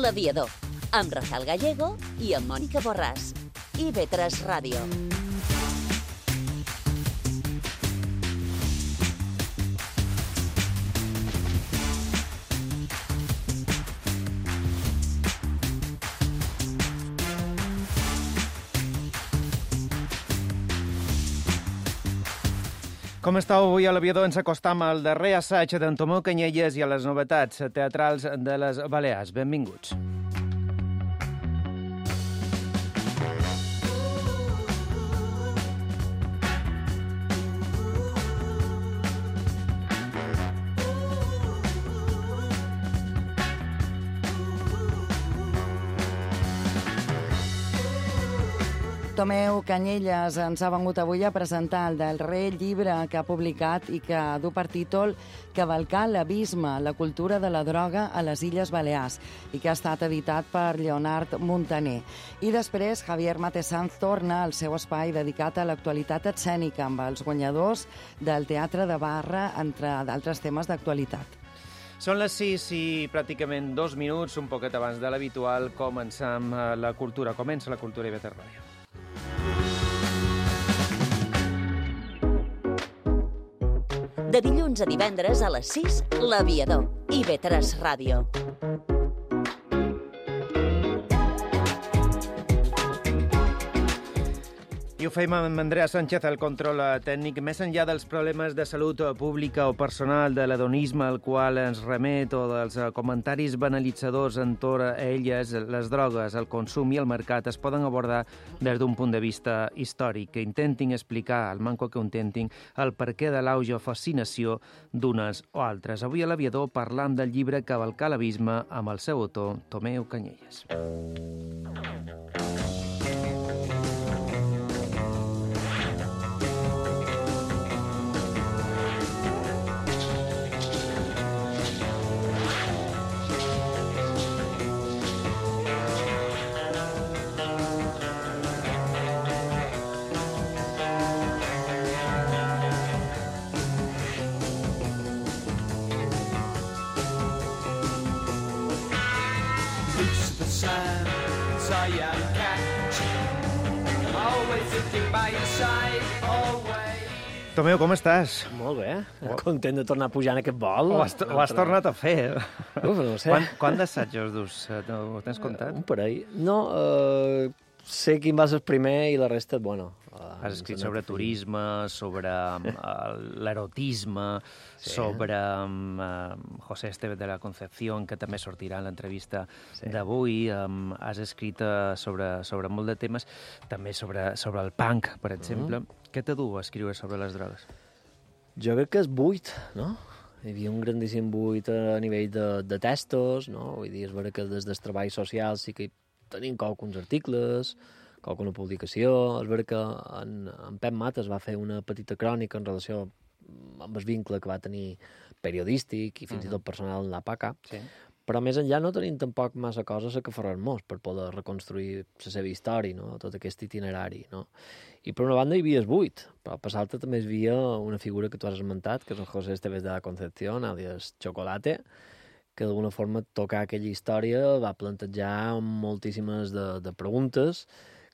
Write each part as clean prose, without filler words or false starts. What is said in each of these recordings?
L'Aviador, amb Rafael Gallego i amb Mònica Borràs. IB3 Ràdio. Com estàu avui a l'Aviador? Ens acostam al darrer assaig d'en Tomeu Canyelles i a les novetats teatrals de les Balears. Benvinguts. Tomeu Canyelles ens ha vengut avui a presentar el darrer llibre que ha publicat i que du per títol Cavalcar l'abisme, la cultura de la droga a les Illes Balears, i que ha estat editat per Leonard Montaner. I després Javier Matesanz torna al seu espai dedicat a l'actualitat escènica amb els guanyadors del Teatre de Barra, entre d'altres temes d'actualitat. Són les 6 i pràcticament 2 minuts, un poquet abans de l'habitual, comencem la cultura. Comença la cultura IB3 Ràdio. De dilluns a divendres a les 6, L'Aviador, IB3 Ràdio. I ho fem amb Andrea Sánchez, el control tècnic. Més enllà dels problemes de salut pública o personal, de l'hedonisme al qual ens remet o dels comentaris banalitzadors entorn a elles, les drogues, el consum i el mercat es poden abordar des d'un punt de vista històric, que intentin explicar, al manco que ho intentin, el perquè de l'auge o fascinació d'unes o altres. Avui a l'Aviador parlam del llibre Cavalcar l'abisme amb el seu autor, Tomeu Canyelles. Tomeu, com estàs? Molt bé, content de tornar a pujar en aquest vol. Ho has tornat a fer. No sé. Quant d'assajos dus? Ho tens comptat? Un parell. No, sé quin va ser el primer i la resta, bueno... Has escrit sobre turisme, sobre l'erotisme, sobre José Estevez de la Concepción, que també sortirà en l'entrevista d'avui. Has escrit sobre molt de temes, també sobre el punk, per exemple. Què te du a escriure sobre les drogues? Jo crec que és buit, no? Hi havia un grandíssim buit a nivell de textos, no? Vull dir, és vera que des del treball social sí que tenim alguns articles, alguna publicació. És vera que en Pep Mates va fer una petita crònica en relació amb el vincle que va tenir periodístic i fins i tot personal en la PACA, però més enllà no tenim tampoc massa coses a que aferrar-nos per poder reconstruir la seva història, no? Tot aquest itinerari, no? I per una banda hi havia el buit, però per l'altra també hi havia una figura que tu has esmentat, que és el José Estevez de la Concepción, alias Chocolate, que d'alguna forma tocar aquella història va plantejar moltíssimes de preguntes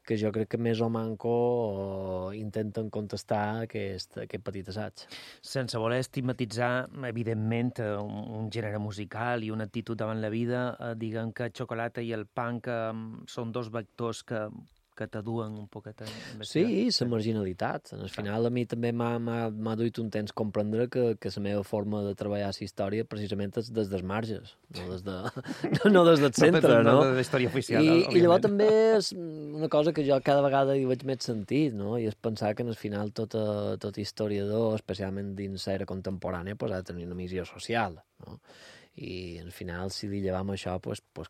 que jo crec que més o manco intenten contestar aquest petit assaig. Sense voler estigmatitzar, evidentment, un gènere musical i una actitud davant la vida, diguem que Xocolata i el punk són dos vectors que t'aduen un poquet a investigar. Sí, la marginalitat. Al final a mi també m'ha duit un temps comprendre que la meva forma de treballar la història precisament és des dels marges, no des del centre, no? No des de la història oficial, I llavors també és una cosa que jo cada vegada hi veig més sentit, no? I és pensar que al final tot historiador, especialment dins l'era contemporània, ha de tenir una missió social, no? I al final, si li llevam això,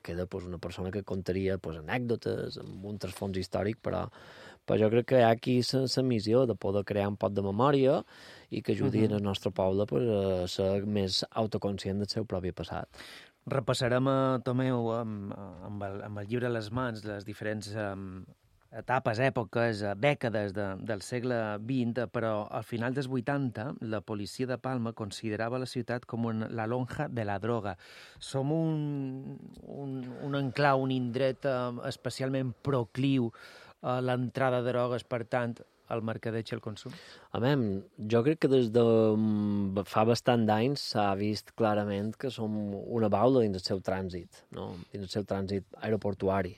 queda una persona que contaria anècdotes amb un trasfons històric, però jo crec que hi ha aquí la missió de poder crear un pot de memòria i que ajudi el nostre poble a ser més autoconscient del seu propi passat. Repassarem, Tomeu, amb el llibre a les mans, les diferents etapes, èpoques, dècades del segle XX, però al final dels 80 la policia de Palma considerava la ciutat com la lonja de la droga. Som un enclau, un indret especialment procliu a l'entrada de drogues, per tant, al mercadeig i al consum? Jo crec que des de fa bastant d'anys s'ha vist clarament que som una baula dins el seu trànsit, no? Dins el seu trànsit aeroportuari.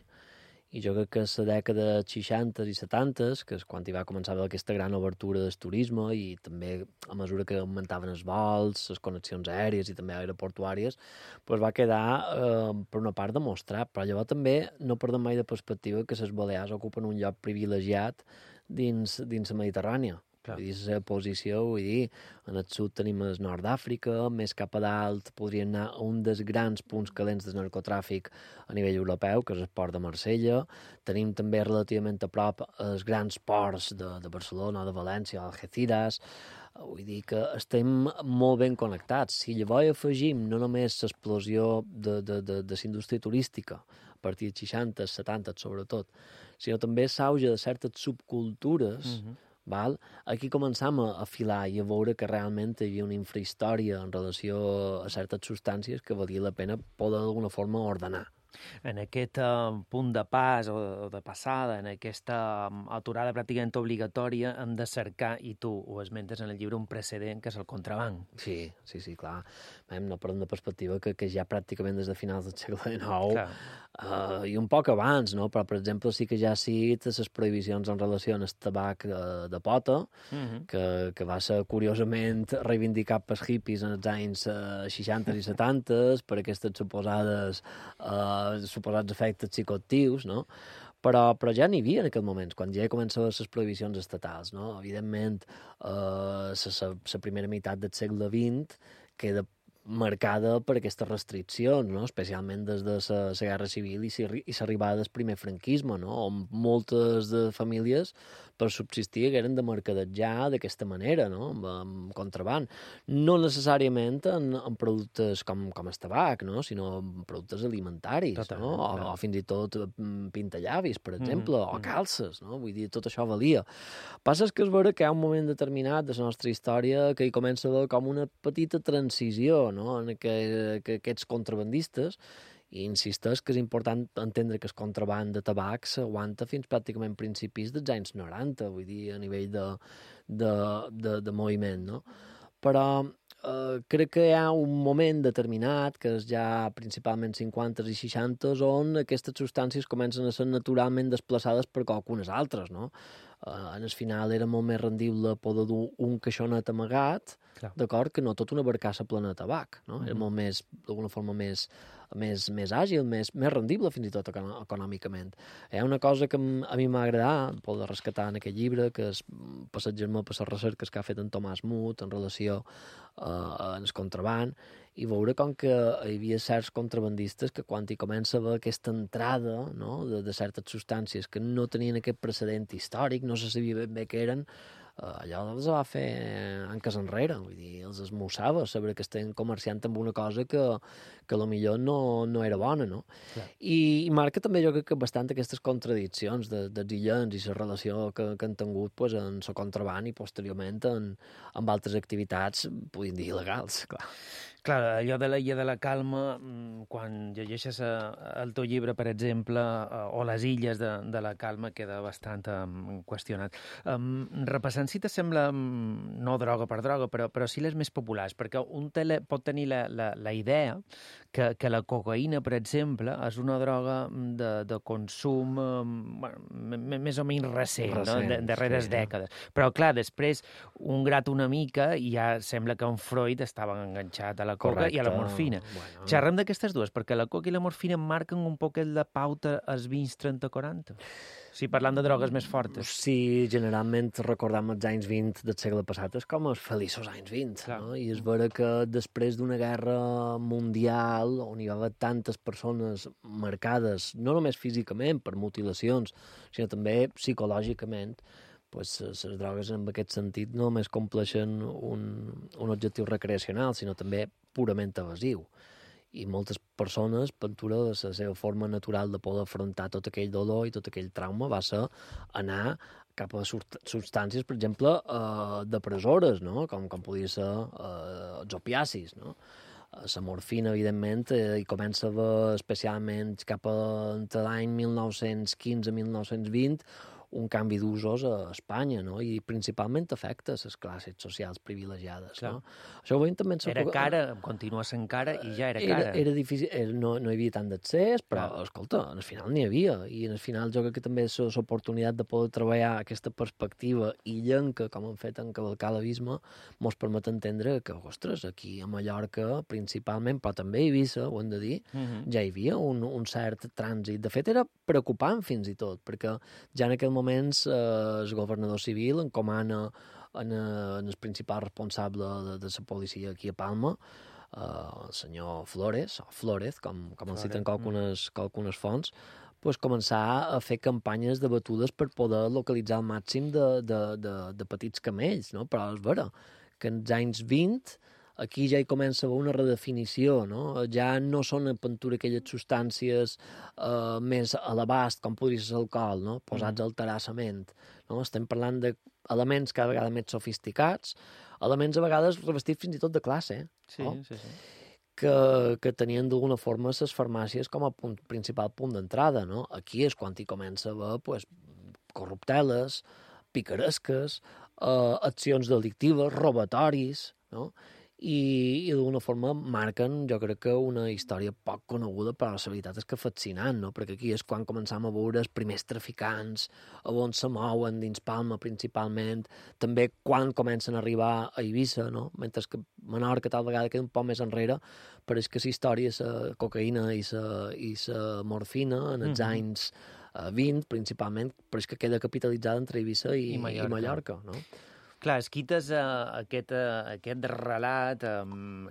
I jo crec que a la dècada 60 i 70, que és quan hi va començar aquesta gran obertura del turisme i també a mesura que augmentaven els vols, les connexions aèries i també aeroportuàries, doncs va quedar, per una part, demostrat. Però llavors també no perdem mai de perspectiva que les Balears ocupen un lloc privilegiat dins la Mediterrània. Vull dir, la seva posició, vull dir, en el sud tenim el nord d'Àfrica, més cap a dalt podrien anar a un dels grans punts calents del narcotràfic a nivell europeu, que és el port de Marsella. Tenim també relativament a prop els grans ports de Barcelona, de València, Algeciras. Vull dir que estem molt ben connectats. Si llavors afegim no només l'explosió de la indústria turística, a partir dels 60, 70 sobretot, sinó també l'auge de certes subcultures, val? Aquí començam a afilar i a veure que realment hi havia una infrahistòria en relació a certes substàncies que valia la pena poder d'alguna forma ordenar. En aquest punt de pas o de passada, en aquesta aturada pràcticament obligatòria, hem de cercar, i tu ho esmentes en el llibre, un precedent que és el contraban. Sí, clar. No perdem de perspectiva que ja pràcticament des de finals del segle XIX i un poc abans, no? Però, per exemple, sí que ja ha sigut les prohibicions en relació amb el tabac de pota, que va ser curiosament reivindicat pels hippies en els anys 60 i 70 per aquestes suposats efectes psicoactius, no? Però ja n'hi havia en aquell moment, quan ja començaven les prohibicions estatals, no? Evidentment, la primera meitat del segle XX queda marcada per aquestes restriccions, no? Especialment des de la Guerra Civil i l'arribada del primer franquisme, no? On moltes de famílies per subsistir eren de mercadejar d'aquesta manera, no? Amb contraban. No necessàriament en productes com el tabac, no? Sinó en productes alimentaris, no? O fins i tot pintallavis, per exemple, o calces, no? Vull dir, tot això valia. Passa que és vera que hi ha un moment determinat de la nostra història que hi comença a haver com una petita transició, no? En que aquests contrabandistes, i insisteix que és important entendre que el contraband de tabac s'aguanta fins pràcticament principis dels anys 90, vull dir, a nivell de moviment, no? Però crec que hi ha un moment determinat, que és ja principalment 50 i 60, on aquestes substàncies comencen a ser naturalment desplaçades per qualcunes altres, no? En el final era molt més rendible poder dur un caixonet amagat, d'acord, que no tot una barcassa plena de tabac, no? Era molt més, d'alguna forma, més àgil, més rendible fins i tot econòmicament. Hi ha una cosa que a mi m'ha agradat poder rescatar en aquest llibre, que és passejar-me per les recerques que ha fet en Tomàs Mut en relació amb el contraband, i veure com que hi havia certs contrabandistes que quan hi comença a haver aquesta entrada, no? de certes substàncies que no tenien aquest precedent històric, no se sabia ben bé què eren, allò els va fer anques enrere, vull dir, els esmussava saber que estem comerciant amb una cosa que potser no era bona, no? I marca també jo crec que bastant aquestes contradiccions dels illens i la relació que han tingut en el contraband i posteriorment amb altres activitats, podríem dir, il·legals, clar. Clar, allò de l'illa de la calma, quan llegeixes el teu llibre, per exemple, o les illes de la calma, queda bastant qüestionat. Repassant, si t'assembla, no droga per droga, però sí les més populars, perquè un pot tenir la idea que la cocaïna, per exemple, és una droga de consum més o menys recent, no? Darreres dècades. Però, clar, després, un grat una mica i ja sembla que un Freud estava enganxat a la coca i a la morfina. Xerrem d'aquestes dues, perquè la coca i la morfina marquen un poquet la pauta als 20, 30, 40. Sí, parlant de drogues més fortes. Sí, generalment recordam els anys 20 del segle passat és com els feliços anys 20, no? I és vera que després d'una guerra mundial on hi va haver tantes persones marcades, no només físicament per mutilacions, sinó també psicològicament, pues, les drogues en aquest sentit no només compleixen un objectiu recreacional, sinó també purament evasiu. i moltes persones, pintura, la seva forma natural de poder afrontar tot aquell dolor i tot aquell trauma va ser anar cap a substàncies, per exemple, depressores, no? com podia ser els opiacis, no? La morfina, evidentment, hi comença a haver, especialment cap entre l'any 1915-1920, un canvi d'usos a Espanya, no? I principalment afecta les classes socials privilegiades. No? Això ho veiem també... Era cara, continua sent cara i ja era cara. Era difícil, no hi havia tant d'accés, però, escolta, al final n'hi havia. I al final jo crec que també l'oportunitat de poder treballar aquesta perspectiva illenca, com hem fet en Cavalcar l'Abisme, mos permet entendre que, ostres, aquí a Mallorca, principalment, però també a Eivissa, ho hem de dir, ja hi havia un cert trànsit. De fet, era preocupant fins i tot, perquè ja en aquell moments el governador civil encomana en el principal responsable de la policia aquí a Palma, el senyor Flores, o Flórez, com el citen qualcunes fonts, pues començar a fer campanyes de batudes per poder localitzar el màxim de petits camells, no? Però és vera que en els anys 20 aquí ja hi comença a haver una redefinició, no? Ja no són en pintura aquelles substàncies més a l'abast, com podria ser l'alcohol, no? Posats al terrassament. No? Estem parlant d'elements cada vegada més sofisticats, elements a vegades revestits fins i tot de classe, no? Sí. Que tenien d'alguna forma les farmàcies com a principal punt d'entrada, no? Aquí és quan hi comença a haver pues, corrupteles, picaresques, accions delictives, robatoris, no? I d'alguna forma marquen, jo crec que una història poc coneguda, però la veritat és que fascinant, no? Perquè aquí és quan començam a veure els primers traficants, a on se mouen dins Palma principalment, també quan comencen a arribar a Eivissa, no? Mentre que Menorca tal vegada queda un poc més enrere, però és que la història, la cocaïna i la morfina en els anys 20 principalment, però és que queda capitalitzada entre Eivissa i Mallorca, no? Clar, esquites aquest relat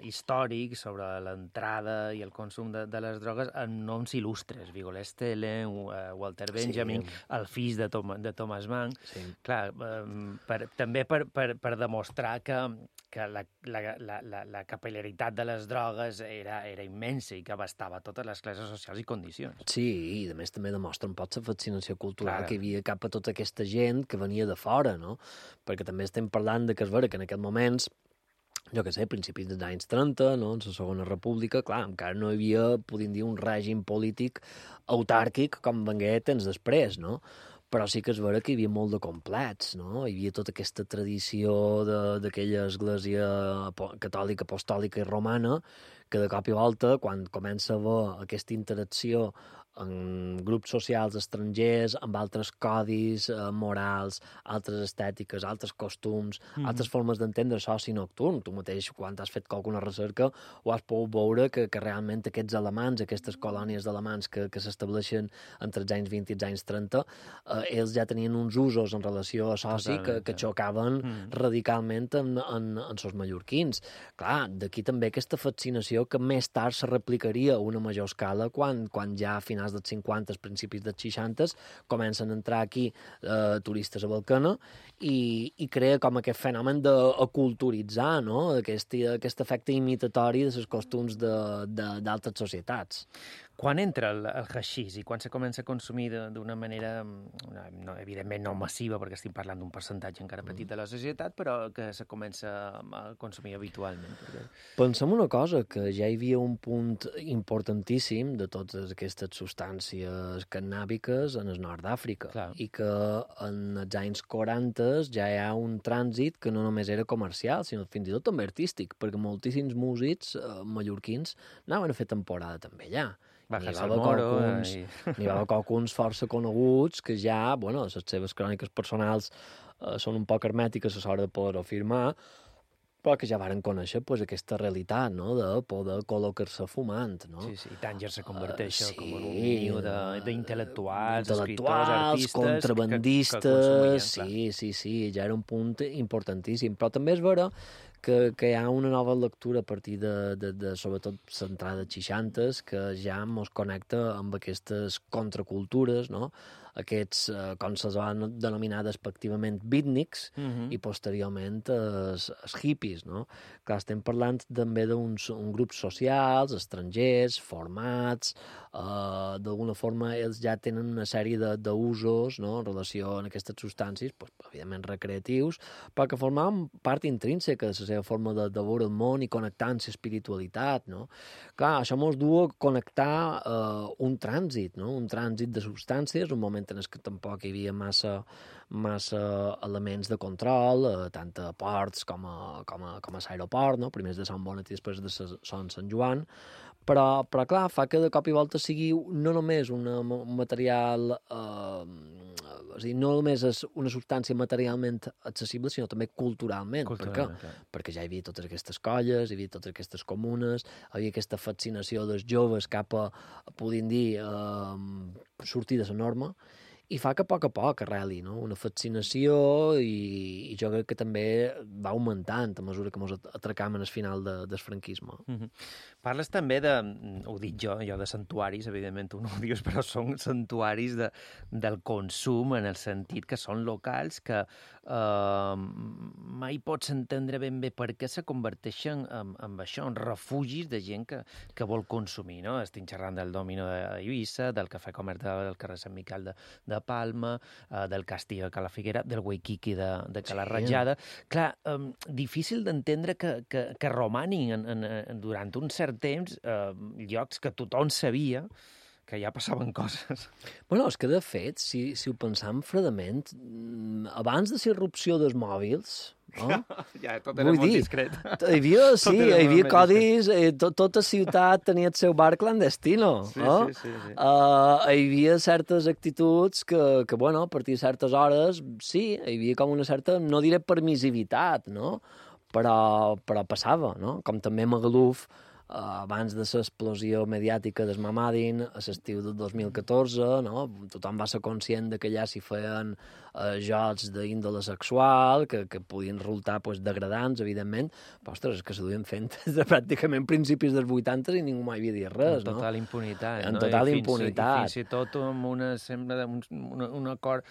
històric sobre l'entrada i el consum de les drogues en noms il·lustres, Vigolé Estele, Walter Benjamin, el fill de Thomas Mann. Sí. Clar, també per demostrar que la capil·laritat de les drogues era immensa i que abastava totes les classes socials i condicions. Sí, i a més també demostra un poc la fascinació cultural que hi havia cap a tota aquesta gent que venia de fora, no? Perquè també estem parlant de que és vera que en aquests moments, jo què sé, principis dels anys 30, no? En la Segona República, clar, encara no hi havia, podríem dir, un règim polític autàrquic com vengué temps després, no? Però sí que és vera que hi havia molt de complets, no? Hi havia tota aquesta tradició d'aquella església catòlica, apostòlica i romana, que de cop i volta, quan comença a haver aquesta interacció en grups socials estrangers, amb altres codis morals, altres estètiques, altres costums, altres formes d'entendre l'oci nocturn. Tu mateix, quan has fet alguna recerca, ho has pogut veure que realment aquests alemans, aquestes colònies d'alemans que s'estableixen entre els anys 20 i els anys 30, ells ja tenien uns usos en relació a l'oci que xocaven radicalment en els mallorquins. Clar, d'aquí també aquesta fascinació que més tard se replicaria a una major escala quan ja a finals dels 50, principis dels 60, comencen a entrar aquí turistes a Balcana i crea com aquest fenomen d'aculturitzar, no? Aquest efecte imitatori de els costums d'altres societats. Quan entra el haixís i quan se comença a consumir d'una manera, evidentment no massiva, perquè estem parlant d'un percentatge encara petit de la societat, però que se comença a consumir habitualment? Pensem una cosa, que ja hi havia un punt importantíssim de totes aquestes substàncies cannàbiques en el nord d'Àfrica, i que en els anys 40 ja hi ha un trànsit que no només era comercial, sinó fins i tot també artístic, perquè moltíssims músics mallorquins anaven a fer temporada també allà. N'hi va haver qualcuns força coneguts que ja, bueno, les seves cròniques personals són un poc hermètiques a l'hora de poder-ho afirmar, però que ja varen conèixer pues, aquesta realitat, no?, de poder col·locar-se fumant, no? Sí, i Tànger se converteix com un niu d'intel·lectuals, escriptors, artistes... contrabandistes, sí, ja era un punt importantíssim. Però també és vera que hi ha una nova lectura a partir de sobretot l'entrada dels 60, que ja ens connecta amb aquestes contracultures, no?, aquests, com se van denominar despectivament, beatniks, i posteriorment els hippies, no? Clar, estem parlant també d'uns grups socials, estrangers, formats, d'alguna forma ells ja tenen una sèrie d'usos, no?, en relació amb aquestes substàncies, pues, evidentment recreatius, però que formaven part intrínseca de la seva forma de veure el món i connectar amb l'espiritualitat, no? Clar, això ens du a connectar un trànsit, no?, un trànsit de substàncies, un moment en què tampoc hi havia massa elements de control, tant a ports com a l'aeroport, no?, primer de Sant Bonat i després de Sant Joan, però clar, fa que de cop i volta sigui no només un material, és a dir, no només és una substància materialment accessible, sinó també culturalment. Per què? Perquè ja hi havia totes aquestes colles, hi havia totes aquestes comunes, hi havia aquesta fascinació dels joves cap a podem dir, sortir de la norma, i fa que a poc arreli, no?, una fascinació, i jo crec que també va augmentant a mesura que ens atracam en el final del franquisme. Parles també de, ho dic jo de santuaris, evidentment tu no ho dius, però són santuaris del consum, en el sentit que són locals que mai pots entendre ben bé per què se converteixen en això, en refugis de gent que vol consumir, no? Estic xerrant del Domino d'Eivissa, del Cafè Comerç del carrer Sant Miquel de Palma, del Castillo de Cala Figuera, del Waikiki de Cala Ratjada. Clar, difícil d'entendre que romanin durant un cert temps llocs que tothom sabia que ja passaven coses. Bueno, és que, de fet, si ho pensam fredament, abans de la irrupció dels mòbils, no? Ja, tot era molt discret. Hi havia codis, tota ciutat tenia el seu bar clandestino. Sí. Hi havia certes actituds que, bueno, a partir de certes hores, sí, hi havia com una certa, no diré permissivitat, no?, però passava, no? Com també Magaluf, abans de l'explosió mediàtica del Mamadin, a l'estiu del 2014, no?, tothom va ser conscient que allà s'hi feien jocs d'índole sexual, que podien resultar degradants, evidentment, però, ostres, és que se duien fent des de pràcticament principis dels 80 i ningú mai havia dit res, no? En total impunitat. En total impunitat. Fins i tot amb un acord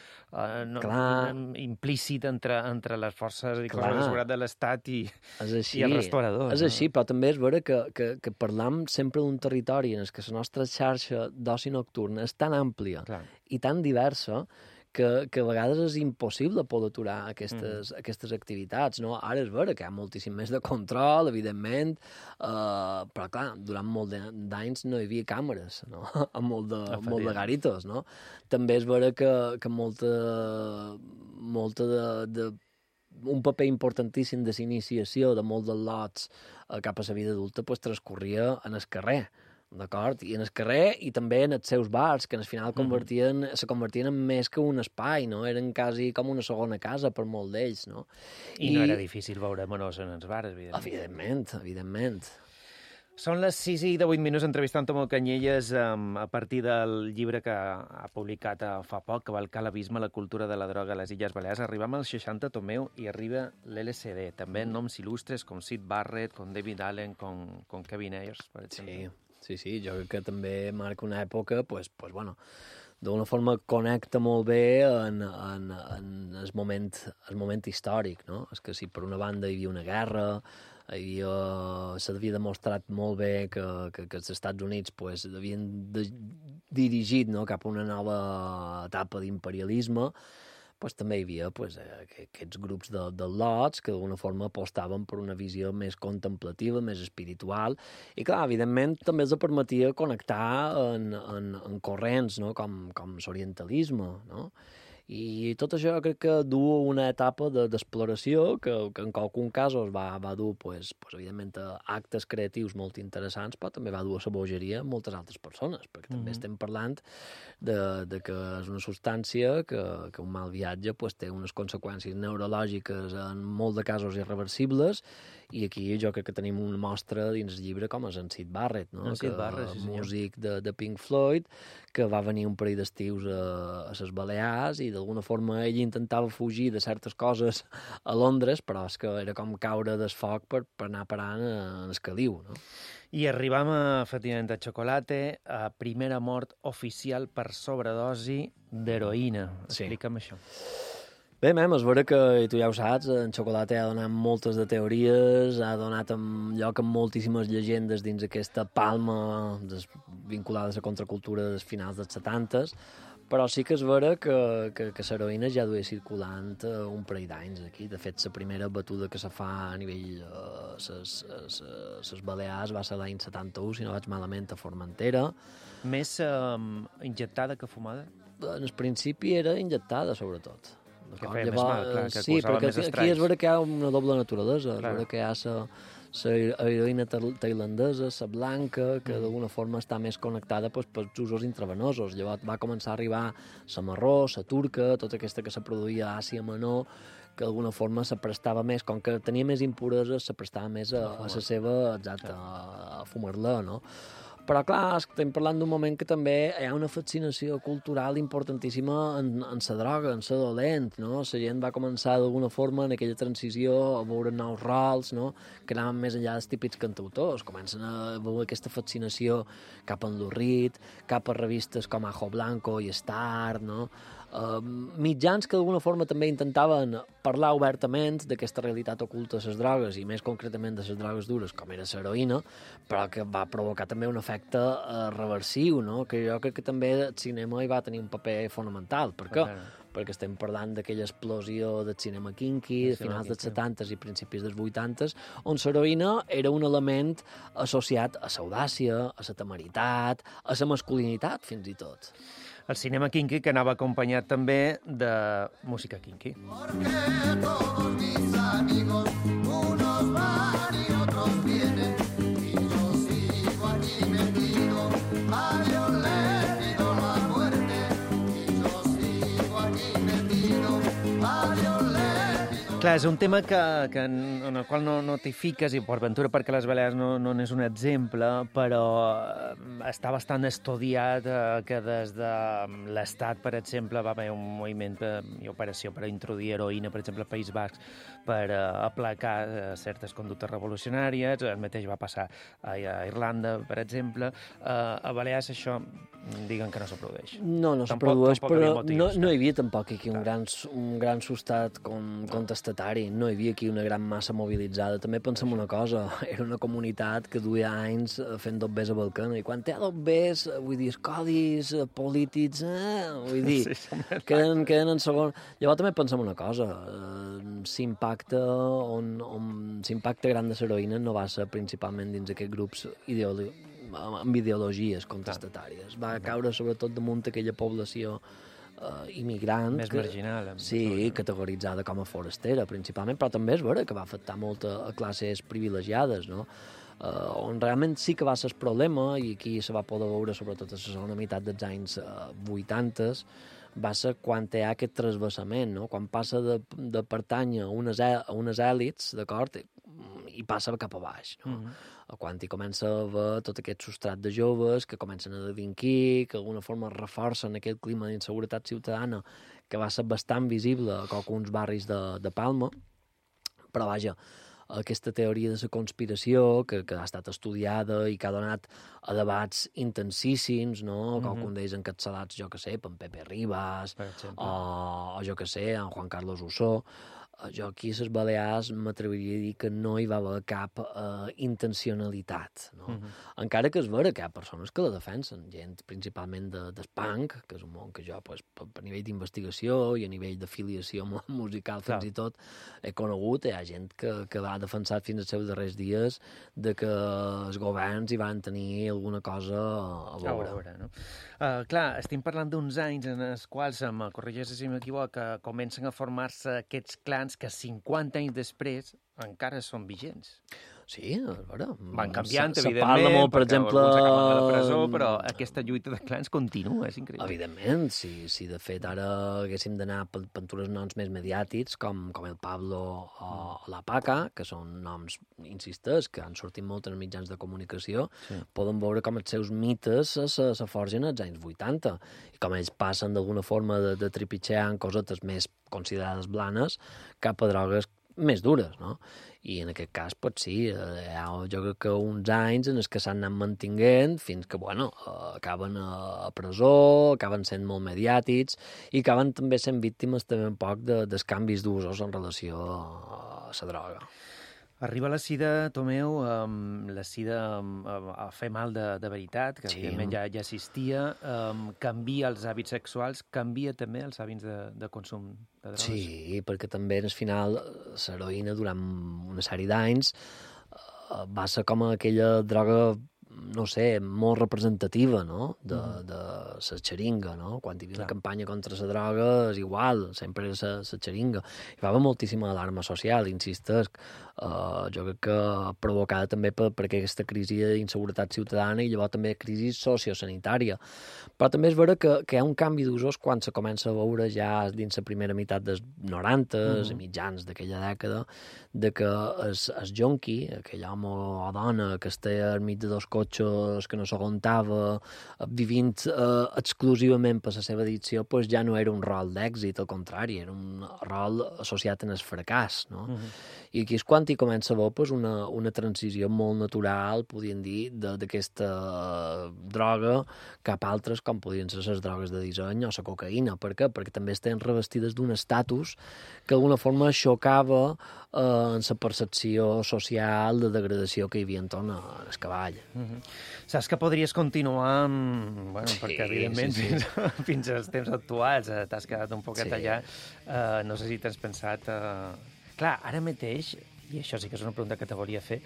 implícit entre les forces i cossos de seguretat de l'Estat i els restauradors. És així, però també és vera que parlam sempre d'un territori en què la nostra xarxa d'oci nocturn és tan àmplia i tan diversa que a vegades és impossible poder aturar aquestes activitats, no? Ara és vera que hi ha moltíssim més de control, evidentment, però, clar, durant molt d'anys no hi havia càmeres, no?, a molt de garitos, no? També és vera que molta de un paper importantíssim de l'iniciació de molts dels lots cap a la vida adulta transcorria en el carrer, d'acord? I en el carrer i també en els seus bars, que al final se convertien en més que un espai, no? Eren quasi com una segona casa per molt d'ells, no? I no era difícil veure menors en els bars, evidentment. Evidentment. Són les 6:08, entrevistant Tomeu Canyelles a partir del llibre que ha publicat fa poc, Cavalcar l'abisme, la cultura de la droga a les Illes Balears. Arribem als 60, Tomeu, i arriba l'LSD. També noms il·lustres com Syd Barrett, com David Allen, com Kevin Ayers, per exemple. Sí, jo crec que també marca una època, bueno, d'una forma connecta molt bé en el moment històric, no? És que si per una banda hi havia una guerra, s'havia demostrat molt bé que els Estats Units havien dirigit, no?, cap a una nova etapa d'imperialisme, també hi havia aquests grups de lots que d'alguna forma apostaven per una visió més contemplativa, més espiritual, i clar, evidentment també els permetia connectar en corrents, no?, com l'orientalisme, no? I tot això crec que du una etapa d'exploració que en algun cas va dur, evidentment, a actes creatius molt interessants, però també va dur a la bogeria moltes altres persones, perquè també estem parlant de que és una substància que un mal viatge té unes conseqüències neurològiques en molt de casos irreversibles, i aquí jo crec que tenim una mostra dins el llibre com és en Syd Barrett, no? Músic de Pink Floyd, que va venir un parell d'estius a les Balears i d'alguna forma ell intentava fugir de certes coses a Londres, però és que era com caure del foc per anar parant en el caliu, no? I arribam, efectivament, a Chocolate, a primera mort oficial per sobredosi d'heroïna. Sí. Explica'm això. Bé, és vera que, i tu ja ho saps, en Chocolate ha donat moltes de teories, ha donat lloc a moltíssimes llegendes dins aquesta palma vinculades a contracultura dels finals dels 70s, però sí que és vera que l'heroïna ja duia circulant un parell d'anys aquí. De fet, la primera batuda que se fa a nivell les Balears va ser l'any 71, si no vaig malament, a Formentera. Més injectada que fumada? En el principi era injectada, sobretot. Que feia més mal, clar, que sí, causava perquè més aquí estralls. és vera que hi ha una doble naturalesa. Clar. És vera que hi ha la heroïna tailandesa, la blanca, que d'alguna forma està més connectada pels usos intravenosos. Llavors va començar a arribar la marró, la turca, tota aquesta que se produïa a Àsia Menor, que d'alguna forma se prestava més, com que tenia més impureses, se prestava més a la seva, exacte, a fumar-la, no? Però, clar, estem parlant d'un moment que també hi ha una fascinació cultural importantíssima en la droga, en la dolent, no? La gent va començar d'alguna forma en aquella transició a veure nous rols, no? Que anaven més enllà dels típics cantautors, comencen a veure aquesta fascinació cap a l'Urrit, cap a revistes com Ajo Blanco i Star, no? Mitjans que d'alguna forma també intentaven parlar obertament d'aquesta realitat oculta de les drogues i més concretament de les drogues dures com era l'heroïna, però que va provocar també un efecte reversiu, no? Que jo crec que també el cinema hi va tenir un paper fonamental. Per què? Perquè estem parlant d'aquella explosió del cinema kinky, de finals dels 70s i principis dels 80s, on l'heroïna era un element associat a l'audàcia, a la temeritat, a la masculinitat, fins i tot. El cinema kinky que anava acompanyat també de música kinky. Porque todos mis amigos, unos van y otros vienen, y yo sigo aquí metido, a Dios le pido la muerte, y yo sigo aquí metido, a Dios le pido. Clar, és un tema en el qual no t'hi fiques, i per ventura perquè les Balears no n'és un exemple, però està bastant estudiat que des de l'Estat, per exemple, va haver un moviment i operació per introduir heroïna, per exemple, al País Basc, per aplacar certes conductes revolucionàries. El mateix va passar a Irlanda, per exemple. A Balears això diguen que no se produeix. No se produeix, però no hi havia tampoc aquí un gran substat contestatari, no hi havia aquí una gran massa mobilitzada. També pensem una cosa, era una comunitat que duia anys fent dobbers a Balcana, i quan té dobbers, vull dir, els codis polítics, vull dir, queden en segon. Llavors també pensem una cosa, l'impacte gran de l'heroïna no va ser principalment dins aquests grups amb ideologies contestatàries. Va caure sobretot damunt aquella població immigrant. Més marginal. Sí, categoritzada com a forastera, principalment, però també és vera que va afectar molt a classes privilegiades, no? On realment sí que va ser el problema, i aquí se va poder veure sobretot a la segona meitat dels anys 80, va ser quan hi ha aquest trasbassament, no? Quan passa de pertànyer a unes èlits, d'acord, i passa cap a baix, no? Quan hi comença a haver tot aquest substrat de joves que comencen a delinquir, que d'alguna forma reforcen aquest clima d'inseguretat ciutadana que va ser bastant visible a alguns barris de Palma, però vaja, aquesta teoria de la conspiració que ha estat estudiada i que ha donat a debats intensíssims, no? Com d'ells encapçalats, jo que sé, per Pepe Ribas, o jo que sé, en Juan Carlos Ussó. Jo aquí a les Balears m'atreviria a dir que no hi va haver cap intencionalitat, no? Encara que és vera que hi ha persones que la defensen, gent principalment del punk, que és un món que jo, a nivell d'investigació i a nivell d'afiliació musical fins i tot, he conegut, hi ha gent que va defensar fins als seus darrers dies de que els governs hi van tenir alguna cosa a veure. No? Clar, estem parlant d'uns anys en els quals, corregeix si m'equivoc, comencen a formar-se aquests clans que 50 anys després encara són vigents. Sí, a veure... Van canviant, se evidentment, parla molt, per perquè exemple... alguns acaben a la presó, però aquesta lluita de clans continua, és increïble. Evidentment, si de fet ara haguéssim d'anar per uns noms més mediàtics, com el Pablo o la Paca, que són noms, insistes, que han sortit molt en els mitjans de comunicació, poden veure com els seus mites se forgen als anys 80, i com ells passen d'alguna forma de trepitjar en cosetes més considerades blanes cap a drogues més dures, no? I en aquest cas, doncs sí, jo crec que uns anys en els que s'han anat mantinguent fins que, bueno, acaben a presó, acaben sent molt mediàtics i acaben també sent víctimes també un poc dels canvis d'usos en relació a la droga. Arriba la sida, Tomeu, la sida a fer mal de veritat, que evidentment ja existia, canvia els hàbits sexuals, canvia també els hàbits de consum de drogues. Sí, perquè també al final l'heroïna durant una sèrie d'anys va ser com aquella droga, no sé, molt representativa, no?, de la xeringa, no? Quan hi havia una campanya contra la droga és igual, sempre era la xeringa. Hi va haver moltíssima alarma social, insistes, jo crec que provocada també per aquesta crisi d'inseguretat ciutadana i llavors també crisi sociosanitària. Però també és vera que hi ha un canvi d'usos quan se comença a veure ja dins la primera meitat dels 90s, mitjans d'aquella dècada, de que el jonqui, aquell home o dona que estava enmig de dos cotxes, que no s'aguantava, vivint exclusivament per la seva addicció, doncs ja no era un rol d'èxit, al contrari, era un rol associat en el fracàs, no? I aquí és quan hi comença a haver una transició molt natural, podríem dir, d'aquesta droga cap a altres, com podrien ser les drogues de disseny o la cocaïna. Per què? Perquè també estan revestides d'un estatus que d'alguna forma xocava en la percepció social de degradació que hi havia entorn al cavall. Saps que podries continuar, bueno, perquè evidentment fins als temps actuals t'has quedat un poquet allà. No sé si t'has pensat... Clar, ara mateix, i això sí que és una pregunta que te volia fer,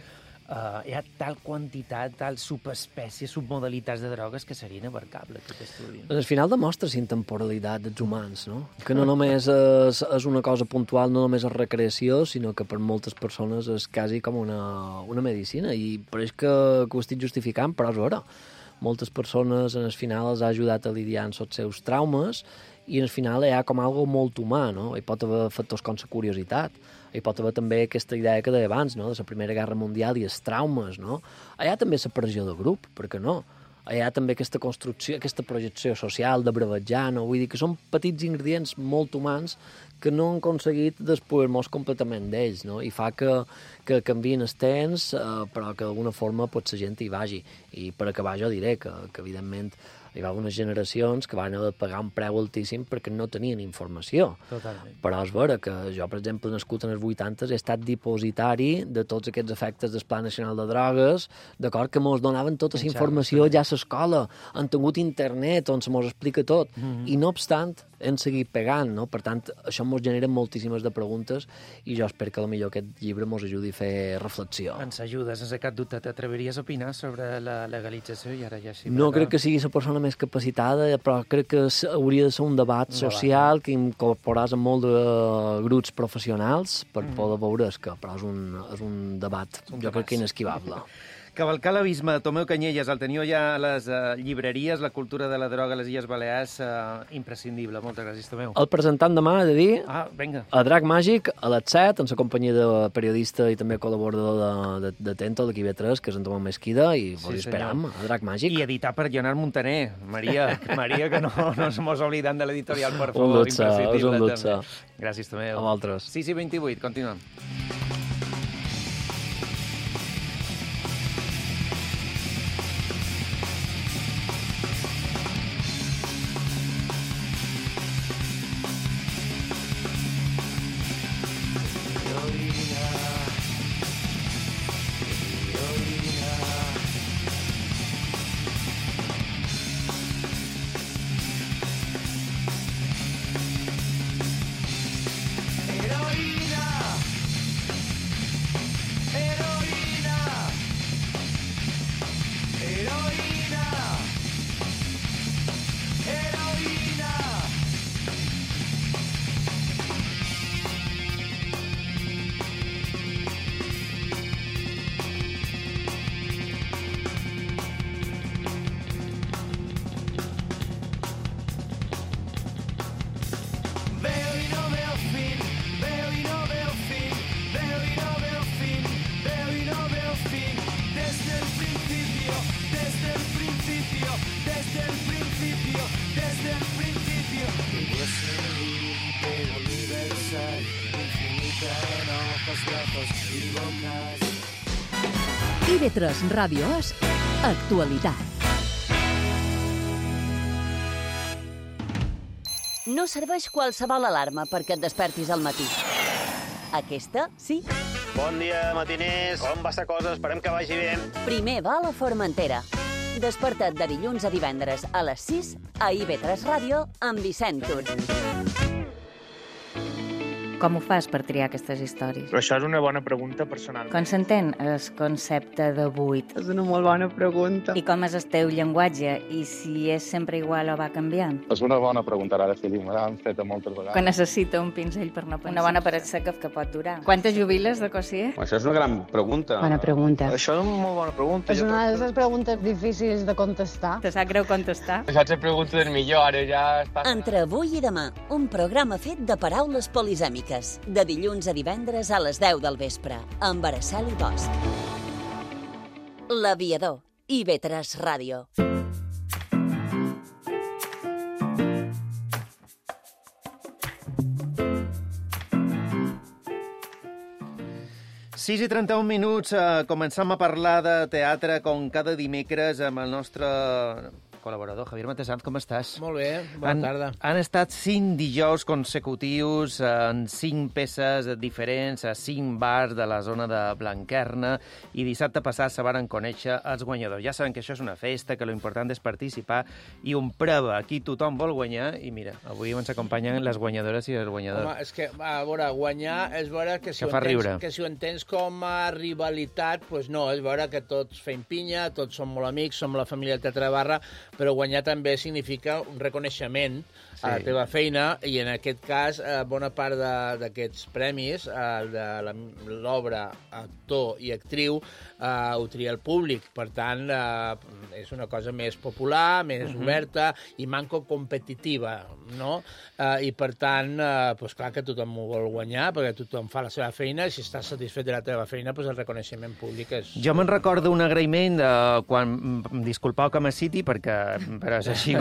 hi ha tal quantitat, tal subespècies, submodalitats de drogues que seria inabarcable aquest estudi. Al final demostra la intemporalitat dels humans, no? Que no només és una cosa puntual, no només és recreació, sinó que per moltes persones és quasi com una medicina, i pareix que ho estic justificant, però és vera. Moltes persones, en el final, els ha ajudat a lidiar amb els seus traumes, i al final hi ha com algo molt humà, no? Hi pot haver factors com la curiositat, hi pot haver també aquesta idea que deia abans, no?, de la Primera Guerra Mundial i els traumes, no? Hi ha també la pressió de grup, per què no? Hi ha també aquesta construcció, aquesta projecció social de bravejar, no? Vull dir que són petits ingredients molt humans que no han aconseguit despojar-nos completament d'ells, no? I fa que canvien els temps, però que d'alguna forma potser la gent hi vagi. I per acabar jo diré que evidentment, hi va haver unes generacions que van haver de pagar un preu altíssim perquè no tenien informació. Totalment. Però és vera que jo, per exemple, nascut en els 80s, he estat dipositari de tots aquests efectes del Pla Nacional de Drogues, d'acord, que mos donaven tota la informació ja a l'escola, han tingut internet on se mos explica tot, i no obstant, hem seguit pegant, no? Per tant, això mos genera moltíssimes de preguntes i jo espero que potser aquest llibre mos ajudi a fer reflexió. Ens ajuda, sense cap dubte. T'atreviries a opinar sobre la legalització i ara ja sí? No crec que sigui la persona més capacitada, però crec que hauria de ser un debat social que incorporàs a molt de grups professionals per poder veure que però és un debat, jo crec que inesquivable. Cavalcar l'abisme, Tomeu Canyelles, el teniu ja a les llibreries, la cultura de la droga a les Illes Balears, imprescindible. Moltes gràcies, Tomeu. El presentant demà, he de dir, vinga. a Drac Màgic, a les 7, en la companyia de periodista i també col·laborador de Tento, de QB3, que és en Tomeu Mesquida, i vos esperam a Drac Màgic. I editar per Leonard Montaner. Maria, que no ens mos oblidem de l'editorial, per favor. És un luxe. Gràcies, Tomeu. A vosaltres. 6:28, continuem. IB3 Ràdio és actualitat. No serveix qualsevol alarma perquè et despertis al matí. Aquesta, sí. Bon dia, matiners. Com va la cosa? Esperem que vagi bé. Primer va a la Formentera. Desperta't de dilluns a divendres a les 6 a IB3 Ràdio amb Vicent Tur. Com ho fas per triar aquestes històries? Però això és una bona pregunta personal. Com s'entén el concepte de buit? És una molt bona pregunta. I com és el teu llenguatge? I si és sempre igual o va canviant? És una bona pregunta, ara sí, me l'han fet moltes vegades. Quan necessita un pinzell per no pensar. Una bona paret seca que pot durar. Quantes jubiles de cosier? Això és una gran pregunta. Bona pregunta. Això és una molt bona pregunta. És una de les preguntes difícils de contestar. Te sap greu contestar? Això és la pregunta del millor, ara ja està... Entre avui i demà, un programa fet de paraules polisèmiques. De dilluns a divendres a les 10 del vespre, amb Araceli Bosch. L'Aviador, IB3 Ràdio. Sis i 31 minuts, començam a parlar de teatre com cada dimecres amb el nostre col·laborador, Javier Matesanz, com estàs? Molt bé, bona tarda. Han estat 5 dijous consecutius en 5 peces diferents a 5 bars de la zona de Blanquerna i dissabte passat se varen conèixer els guanyadors. Ja saben que això és una festa, que l'important és participar i un prova. Aquí tothom vol guanyar i mira, avui ens acompanyen les guanyadores i els guanyadors. Home, és que, a veure, guanyar és veure que si ho entens com a rivalitat, doncs no, és veure que tots fem pinya, tots som molt amics, som la família del Teatre de Barra, però guanyar també significa un reconeixement a la teva feina i en aquest cas bona part d'aquests premis de l'obra actor i actriu ho tria el públic, per tant és una cosa més popular, més oberta i manco competitiva, no? I per tant, doncs clar que tothom ho vol guanyar perquè tothom fa la seva feina i si estàs satisfet de la teva feina, doncs el reconeixement públic és... Jo me'n recordo un agraïment quan, disculpau que me citi perquè però és així,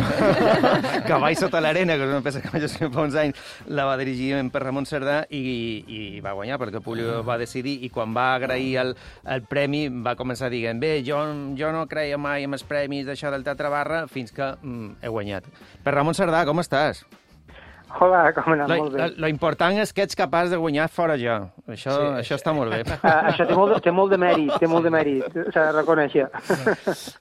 Cavall sota l'arena, que és una peça que vaig escriure fa uns anys, la va dirigir per Ramon Cerdà i va guanyar, perquè el públic va decidir, i quan va agrair el premi va començar dient, bé, jo no creia mai en els premis d'això del Teatre Barra fins que he guanyat. Per Ramon Cerdà, com estàs? Hola, com anat? Molt bé. Lo important és que ets capaç de guanyar fora jo. Això està molt bé. Això té molt de mèrit, s'ha de reconèixer.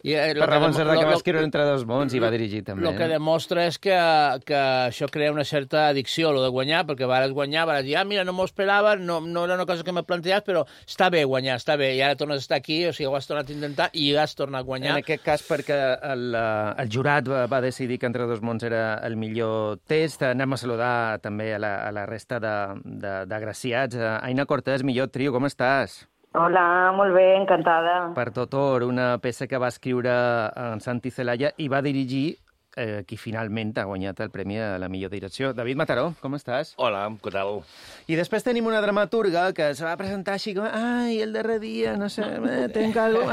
Per Ramon Cerdà, que va escriure Entre dos mons i va dirigir també. El que demostra és que això crea una certa addicció, lo de guanyar, perquè vas guanyar, vas dir, mira, no m'ho esperava, no era una cosa que m'he plantejat, però està bé guanyar, està bé, i ara tornes a estar aquí, o sigui, ho has tornat a intentar i has tornat a guanyar. En aquest cas, perquè el jurat va decidir que Entre dos mons era el millor test. Anem a saludar també a la resta d'agraciats. Aina Cortés, millor trio, com estàs? Hola, molt bé, encantada. Per Totor, una peça que va escriure en Santi Celaya i va dirigir qui finalment ha guanyat el premi a la millor direcció. David Mataró, com estàs? Hola, què tal? I després tenim una dramaturga que se va presentar així com, el darrer dia, no sé, tenc algo...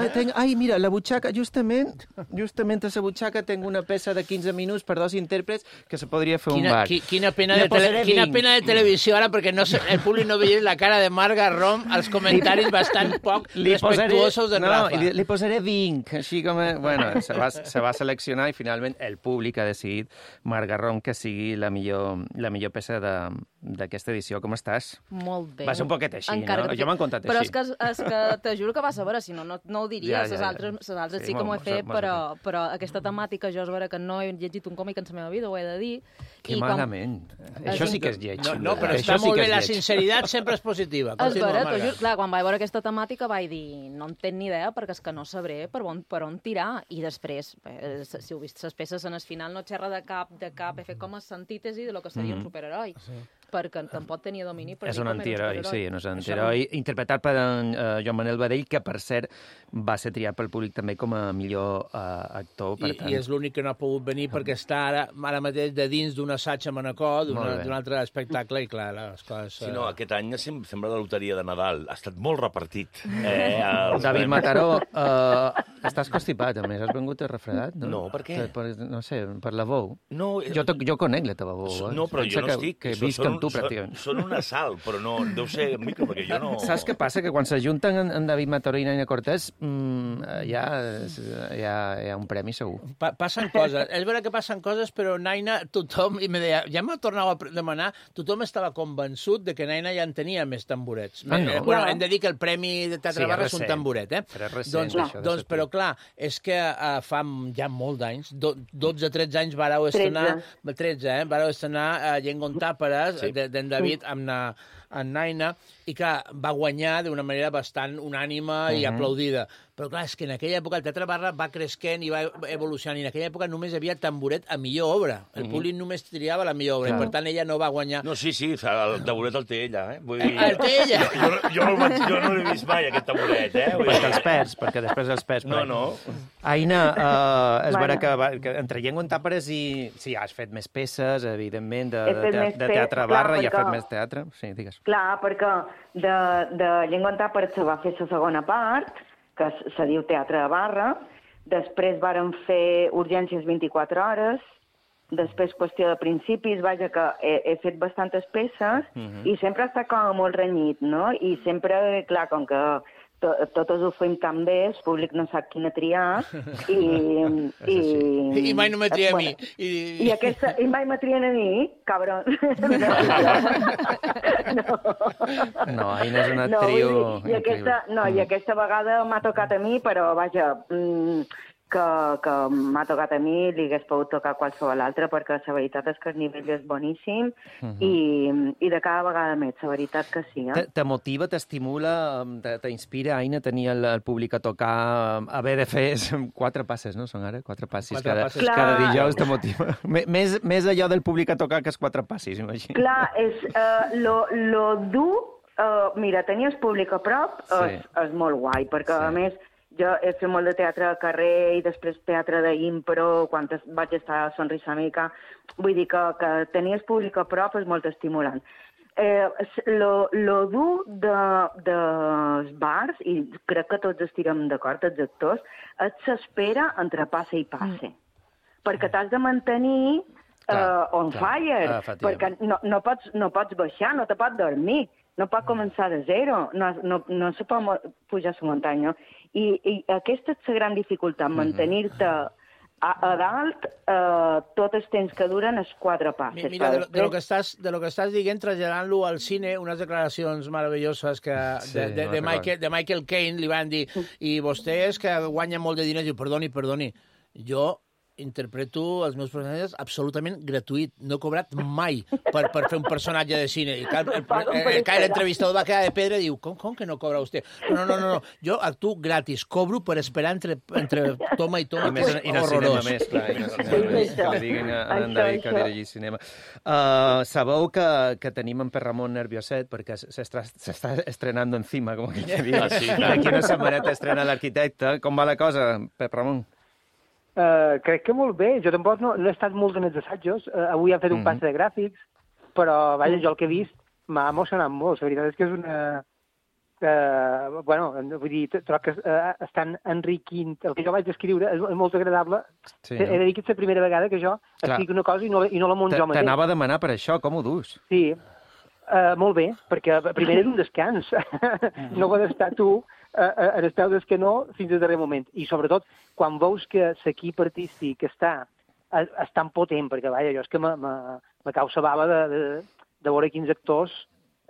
mira, la butxaca, justament a la butxaca tenc una peça de 15 minuts per 2 intèrprets que se podria fer un bar. Quina pena de televisió ara, perquè el públic no veia la cara de Marga Rom, els comentaris bastant poc respectuosos de Rafa. No, li posaré 20, així com... Bueno, se va seleccionar i finalment el públic ha decidit, Marga Rom, que sigui la millor peça d'aquesta edició. Com estàs? Molt bé. Va ser un poquet així, no? Jo m'han contat però així. Però és que te juro que vas a veure, si no ho diria. Les altres sí que m'ho he fet, però aquesta temàtica jo és vera que no he llegit un còmic en la meva vida, ho he de dir. Que malament. Això sí que és lleig. No, però està molt bé, la sinceritat sempre és positiva. És vera, t'ho juro. Clar, quan vaig veure aquesta temàtica vaig dir, no en tenc ni idea perquè és que no sabré per on tirar. I després, si heu vist les peces en el final, no xerra de cap, he fet com a antítesi de lo que seria un superheroi. Perquè tampoc tenia domini per és un antiheroi, sí, és un antiheroi interpretat per Joan Manel Badell, que per cert va ser triat pel públic també com a millor actor. I és l'únic que no ha pogut venir perquè està ara mateix de dins d'un assaig a Manacor, d'un altre espectacle, i clar, les coses... Sí, no, aquest any sembla la loteria de Nadal, ha estat molt repartit. David Mataró, Estàs constipat, a més. Has vengut refredat, no? No, per què? No sé, per la veu. No, jo conec la teva veu. No, però jo no estic. Que visc amb tu, pràcticament. Són una sal, però no deu ser micro, perquè jo no... Saps què passa? Que quan s'ajunten en David Mataró i Naina Cortés, hi ha un premi segur. Passen coses. És vera que passen coses, però Naina, tothom, i me deia, ja m'ho tornava a demanar, tothom estava convençut de que Naina ja en tenia més tamborets. No. Bueno, hem de dir que el Premi de Teatre Barra és un tamboret, Però és recent, doncs, però clar, és que fa ja molts d'anys, 12-13 anys vareu estrenar... 13, vareu estrenar Llengont Tàperes, d'en David, amb Naina, i clar, va guanyar d'una manera bastant unànima i aplaudida. Però clar, és que en aquella època el Teatre Barra va cresquent i va evolucionant, i en aquella època només hi havia tamboret a millor obra. El públic només triava la millor obra, i per tant ella no va guanyar. No, sí, el tamboret el té ella, eh? El té ella? Jo no l'he vist mai, aquest tamboret, eh? Perquè després els perds. No. Aina, és vera que entre Llengont Tàperes i... Sí, has fet més peces, evidentment, de Teatre Barra, i has fet més teatre. Sí, digues. Clar, perquè de Llengont Tàperes se va fer la segona part, que se diu Teatre de Barra, després varen fer Urgències 24 hores, després Qüestió de principis, vaja, que he fet bastantes peces, i sempre està com molt renyit, no? I sempre, clar, com que totes ho fem tan bé, el públic no sap quina triar, i mai no me tria a mi. I mai me trien a mi, cabron. No, Aina és una trio increïble. I aquesta vegada m'ha tocat a mi, però vaja, que m'ha tocat a mi, li hagués pogut tocar qualsevol altre, perquè la veritat és que el nivell és boníssim i de cada vegada més, la veritat que sí. Te motiva, t'estimula, t'inspira, Aina, tenir el públic a tocar, haver de fer 4 passes, no? Són ara 4 passis cada dijous, te motiva. Més allò del públic a tocar que els 4 passis, imagina. Clar, és lo dur, mira, tenir el públic a prop és molt guai, perquè a més jo he fet molt de teatre de carrer i després teatre d'impro, quan vaig estar a Sonrisa Amica. Vull dir que tenir el públic a prop és molt estimulant. Lo dur dels bars, i crec que tots estirem d'acord, els actors, és s'espera entre passe i passe. Perquè t'has de mantenir on fire, perquè no pots baixar, no te pots dormir. No pot començar de zero, no se pot pujar a la muntanya. I aquesta és la gran dificultat, mantenir-te a dalt tot el temps que duren els 4 passes. Mira, de lo que estàs dient, traslladant-lo al cine, unes declaracions meravelloses de Michael Caine li van dir, i vostè és que guanya molt de diners, diu, perdoni, jo interpreto els meus personatges absolutament gratuït. No he cobrat mai per fer un personatge de cine. I l'entrevistador va quedar de pedra i diu, com que no cobra vostè? No. Jo actuo gratis. Cobro per esperar entre toma i toma. I no cinema més, clar. Que li diguin a en David que dirigir cinema. Sabeu que tenim en Per Ramon nervioset perquè s'està estrenant encima, com que diu. Aquí una setmaneta estrena l'Arquitecte. Com va la cosa, Per Ramon? Crec que molt bé. Jo tampoc no he estat molt en els assajos. Avui han fet un passe de gràfics, però vaja, jo el que he vist m'ha emocionat molt. La veritat és que és una... vull dir, trobo que estan enriquint... El que jo vaig escriure és molt agradable. He de dir que és la primera vegada que jo escric una cosa i no la monto jo mateix. T'anava a demanar per això, com ho dus? Sí, molt bé, perquè primer és un descans. No pots estar tu en els peus del canó fins al darrer moment. I sobretot, quan veus que l'equip artístic és tan potent, perquè vaja, jo és que me cau la bava de veure quins actors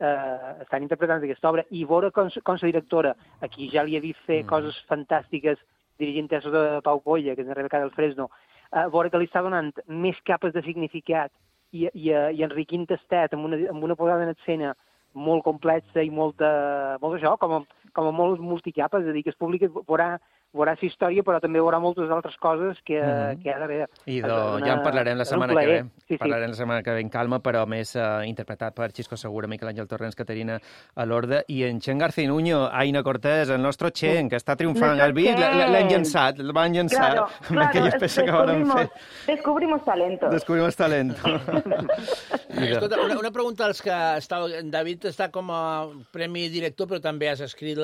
estan interpretant aquesta obra, i veure com la directora, a qui ja li he vist fer coses fantàstiques dirigint tesos de Pau Colla, que és en Rebeca del Fresno, veure que li està donant més capes de significat i enriquint estat amb una posada en escena molt complexa i molt això, com a molt multicapes, és a dir, que el públic veurà la història, però també veurà moltes altres coses que ha d'haver. I ja en parlarem la setmana que ve. Parlarem la setmana que ve en calma, però més interpretat per Xisco Segura, Miquel Àngel Torrents, Caterina Alorda i en Chen Garcinuño, Aina Cortés, el nostre Chen, que està triomfant. El vist l'han llançat, el van llançar amb aquelles peces que van fer. Descubrimos talento. Escolta, una pregunta als que David està com a premi director, però també has escrit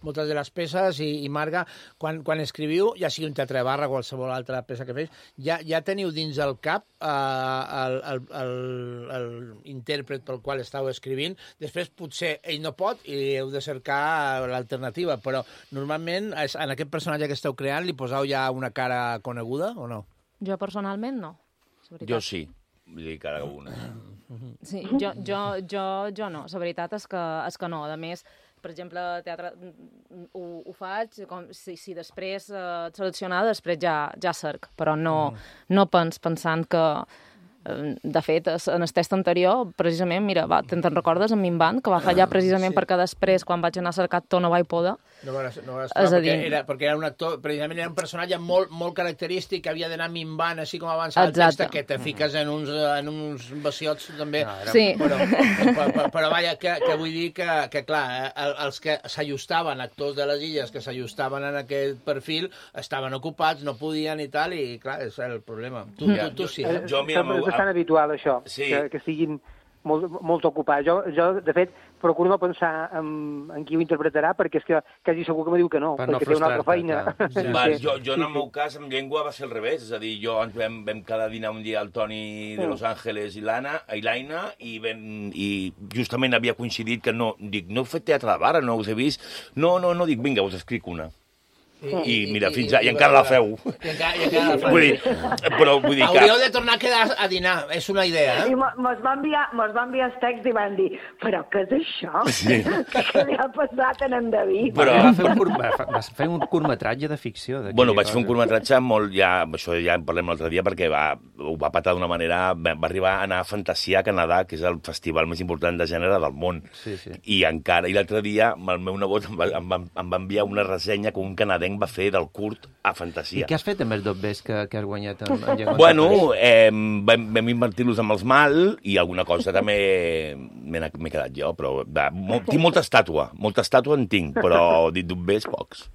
moltes de les peces, i Marga, quan quan escriviu, ja sigui un teatre de barra, qualsevol altra peça que feu, ja teniu dins el cap l'intèrpret pel qual estàu escrivint. Després potser ell no pot i heu de cercar l'alternativa, però normalment en aquest personatge que esteu creant li poseu ja una cara coneguda o no? Jo personalment no. Jo sí, vull dir cara una. Sí, jo no, la veritat és que no. A més, per exemple, teatre ho faig, si després et seleccionar, després ja cerc, però no pensant que... De fet, en el test anterior, precisament, mira, te'n recordes, en Minvant, que va fallar precisament perquè després, quan vaig anar a cercar tot, no vaig poder. No vas perquè era un actor, precisament era un personatge molt característic, que havia d'anar minvant, així com avança el text, que te fiques en uns bassiots també. Sí. Però vaja, que vull dir que clar, els que s'ajustaven, actors de les illes que s'ajustaven en aquest perfil, estaven ocupats, no podien i tal, i clar, és el problema. Tu sí. És bastant habitual, això, que estiguin molt ocupats. Jo, de fet, procuro no pensar en qui ho interpretarà, perquè és que quasi segur que me diu que no, perquè té una altra feina. Jo, en el meu cas, amb llengua va ser al revés. És a dir, ens vam quedar a dinar un dia el Toni de Los Ángeles i l'Aina, i justament havia coincidit que no... Dic, no heu fet teatre de barra, no us he vist? No, dic, vinga, us escric una. I mira, fins ara, i encara la feu. Però vull dir que... Hauríeu de tornar a quedar a dinar, és una idea, I mos va enviar els texts i van dir, però què és això? Què li ha passat a en David? Vas fer un curtmetratge de ficció. Bueno, vaig fer un curtmetratge molt... Això ja en parlem l'altre dia, perquè ho va patar d'una manera... Va arribar a anar a Fantasia a Canadà, que és el festival més important de gènere del món. I l'altre dia el meu nebot em va enviar una ressenya que un canadenc va fer del curt a Fantasia. I què has fet amb els dobbers que has guanyat en llengua? Bueno, vam invertir-los amb els mal i alguna cosa també m'he quedat jo, però tinc molta estàtua en tinc, però dit dobbers pocs.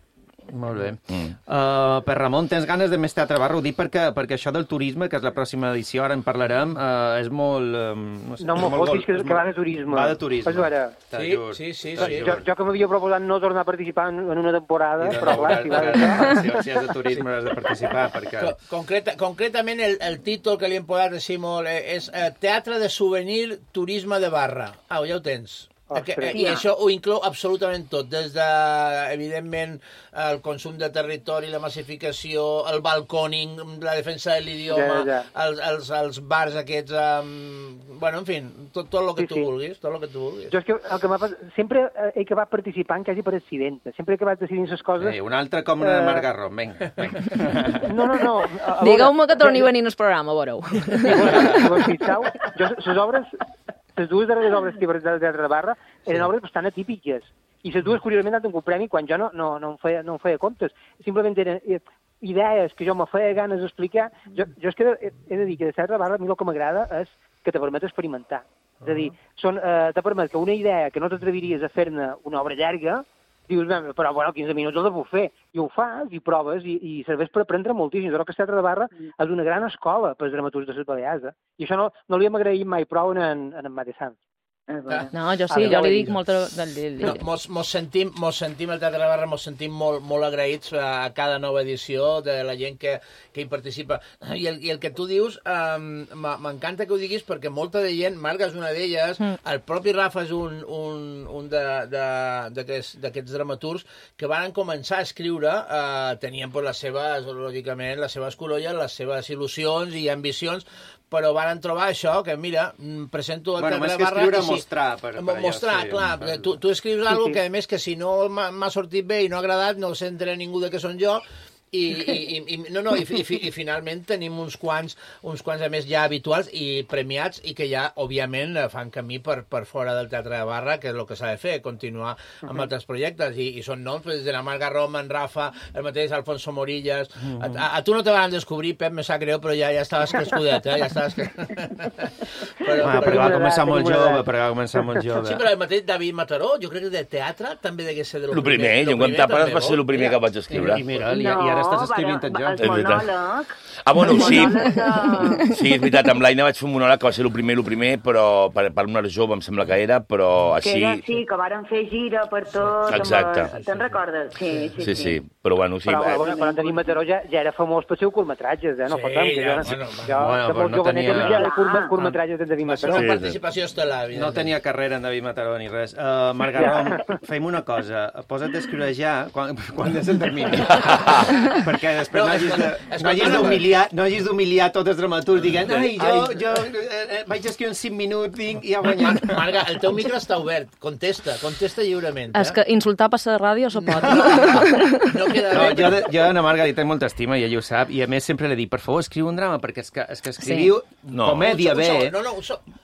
Molt bé. Per Ramon, tens ganes de més teatre barra? Ho dic perquè això del turisme, que és la pròxima edició, ara en parlarem, és molt... No m'ho fotis, que va de turisme. Va de turisme. Sí. Jo que m'havia proposat no tornar a participar en una temporada, però clar, si va de... Si has de turisme has de participar, perquè... Concretament, el títol que li hem posat així molt és Teatre de souvenir, turisme de barra. Ja ho tens. I això ho inclou absolutament tot, des de, evidentment, el consum de territori, la massificació, el balcòning, la defensa de l'idioma, els bars aquests, bueno, en fi, tot el que tu vulguis, tot el que tu vulguis. Jo és que el que m'ha passat, sempre he acabat participant quasi per accident, sempre he acabat decidint les coses... Un altre com una Margarro, vinga. No. Digueu-me que torni a venir al programa, veureu. Si vos fixeu, les obres... Les dues darreres obres que he presentat al Teatre de Barra eren obres bastant atípiques. I les dues, curiosament, han tingut premi quan jo no em feia comptes. Simplement eren idees que jo me feia ganes d'explicar. Jo és que he de dir que de Teatre de Barra a mi el que m'agrada és que te permet experimentar. És a dir, te permet que una idea que no t'atreviries a fer-ne una obra llarga, dius, però bueno, 15 minuts el puc fer. I ho fas, i proves, i serveix per aprendre moltíssim. Jo crec que el Teatre de Barra és una gran escola per als dramaturgs de les Balears. I això no li hem agraït mai prou en Mate Sant. No, jo sí, jo li dic molt... Mos sentim el Teatre de Barra, mos sentim molt agraïts a cada nova edició de la gent que hi participa. I el que tu dius, m'encanta que ho diguis perquè molta de gent, Marga és una d'elles, el propi Rafa és un d'aquests dramaturgs que van començar a escriure, tenien lògicament les seves cololles, les seves il·lusions i ambicions, però van trobar això, que mira, presento el Teatre de Barra... Mostrar, clar. Tu escrius alguna cosa que, a més, que si no m'ha sortit bé i no ha agradat, no s'entera ningú de què són jo, i finalment tenim uns quants a més ja habituals i premiats i que ja, òbviament, fan camí per fora del Teatre de Barra, que és el que s'ha de fer, continuar amb altres projectes, i són noms des de la Marga Roma, en Rafa, el mateix Alfonso Morillas. A tu no te van descobrir, Pep, me sap greu, però ja estaves crescudet, ja estaves... Però va començar molt jove, Sí, però el mateix David Mataró, jo crec que de teatre també degué ser de lo primer. Jo, quan tapes, va ser el primer que vaig escriure. I mira, i ara ara estàs escrivint el joc. El monòleg... Bueno, sí. De... Sí, és veritat, amb l'Aina vaig fer un monòleg que va ser el primer, però per una jove em sembla que era, però així... Que era, sí, que varen fer gira per tot. Exacte. Te'n recordes? Sí. Però bueno, sí. Però quan David Mataró ja era famós per seus curtmetratges, no fotem, que jo de molt jovenet ja era curtmetratges de David Mataró. Va ser una participació estel·lar. No tenia carrera en David Mataró ni res. Margaró, fem una cosa. Posa't a escriure ja quan és el termini. Perquè després no hagis d'humiliar tots els dramaturgs dient jo vaig escriure en 5 minuts i ja guanyat. Marga, el teu micro està obert. Contesta lliurement. És que insultar per la ràdio se pot. Jo a la Marga li tenc molta estima i ella ho sap, i a més sempre li dic, per favor, escriu un drama, perquè és que escriviu comèdia bé.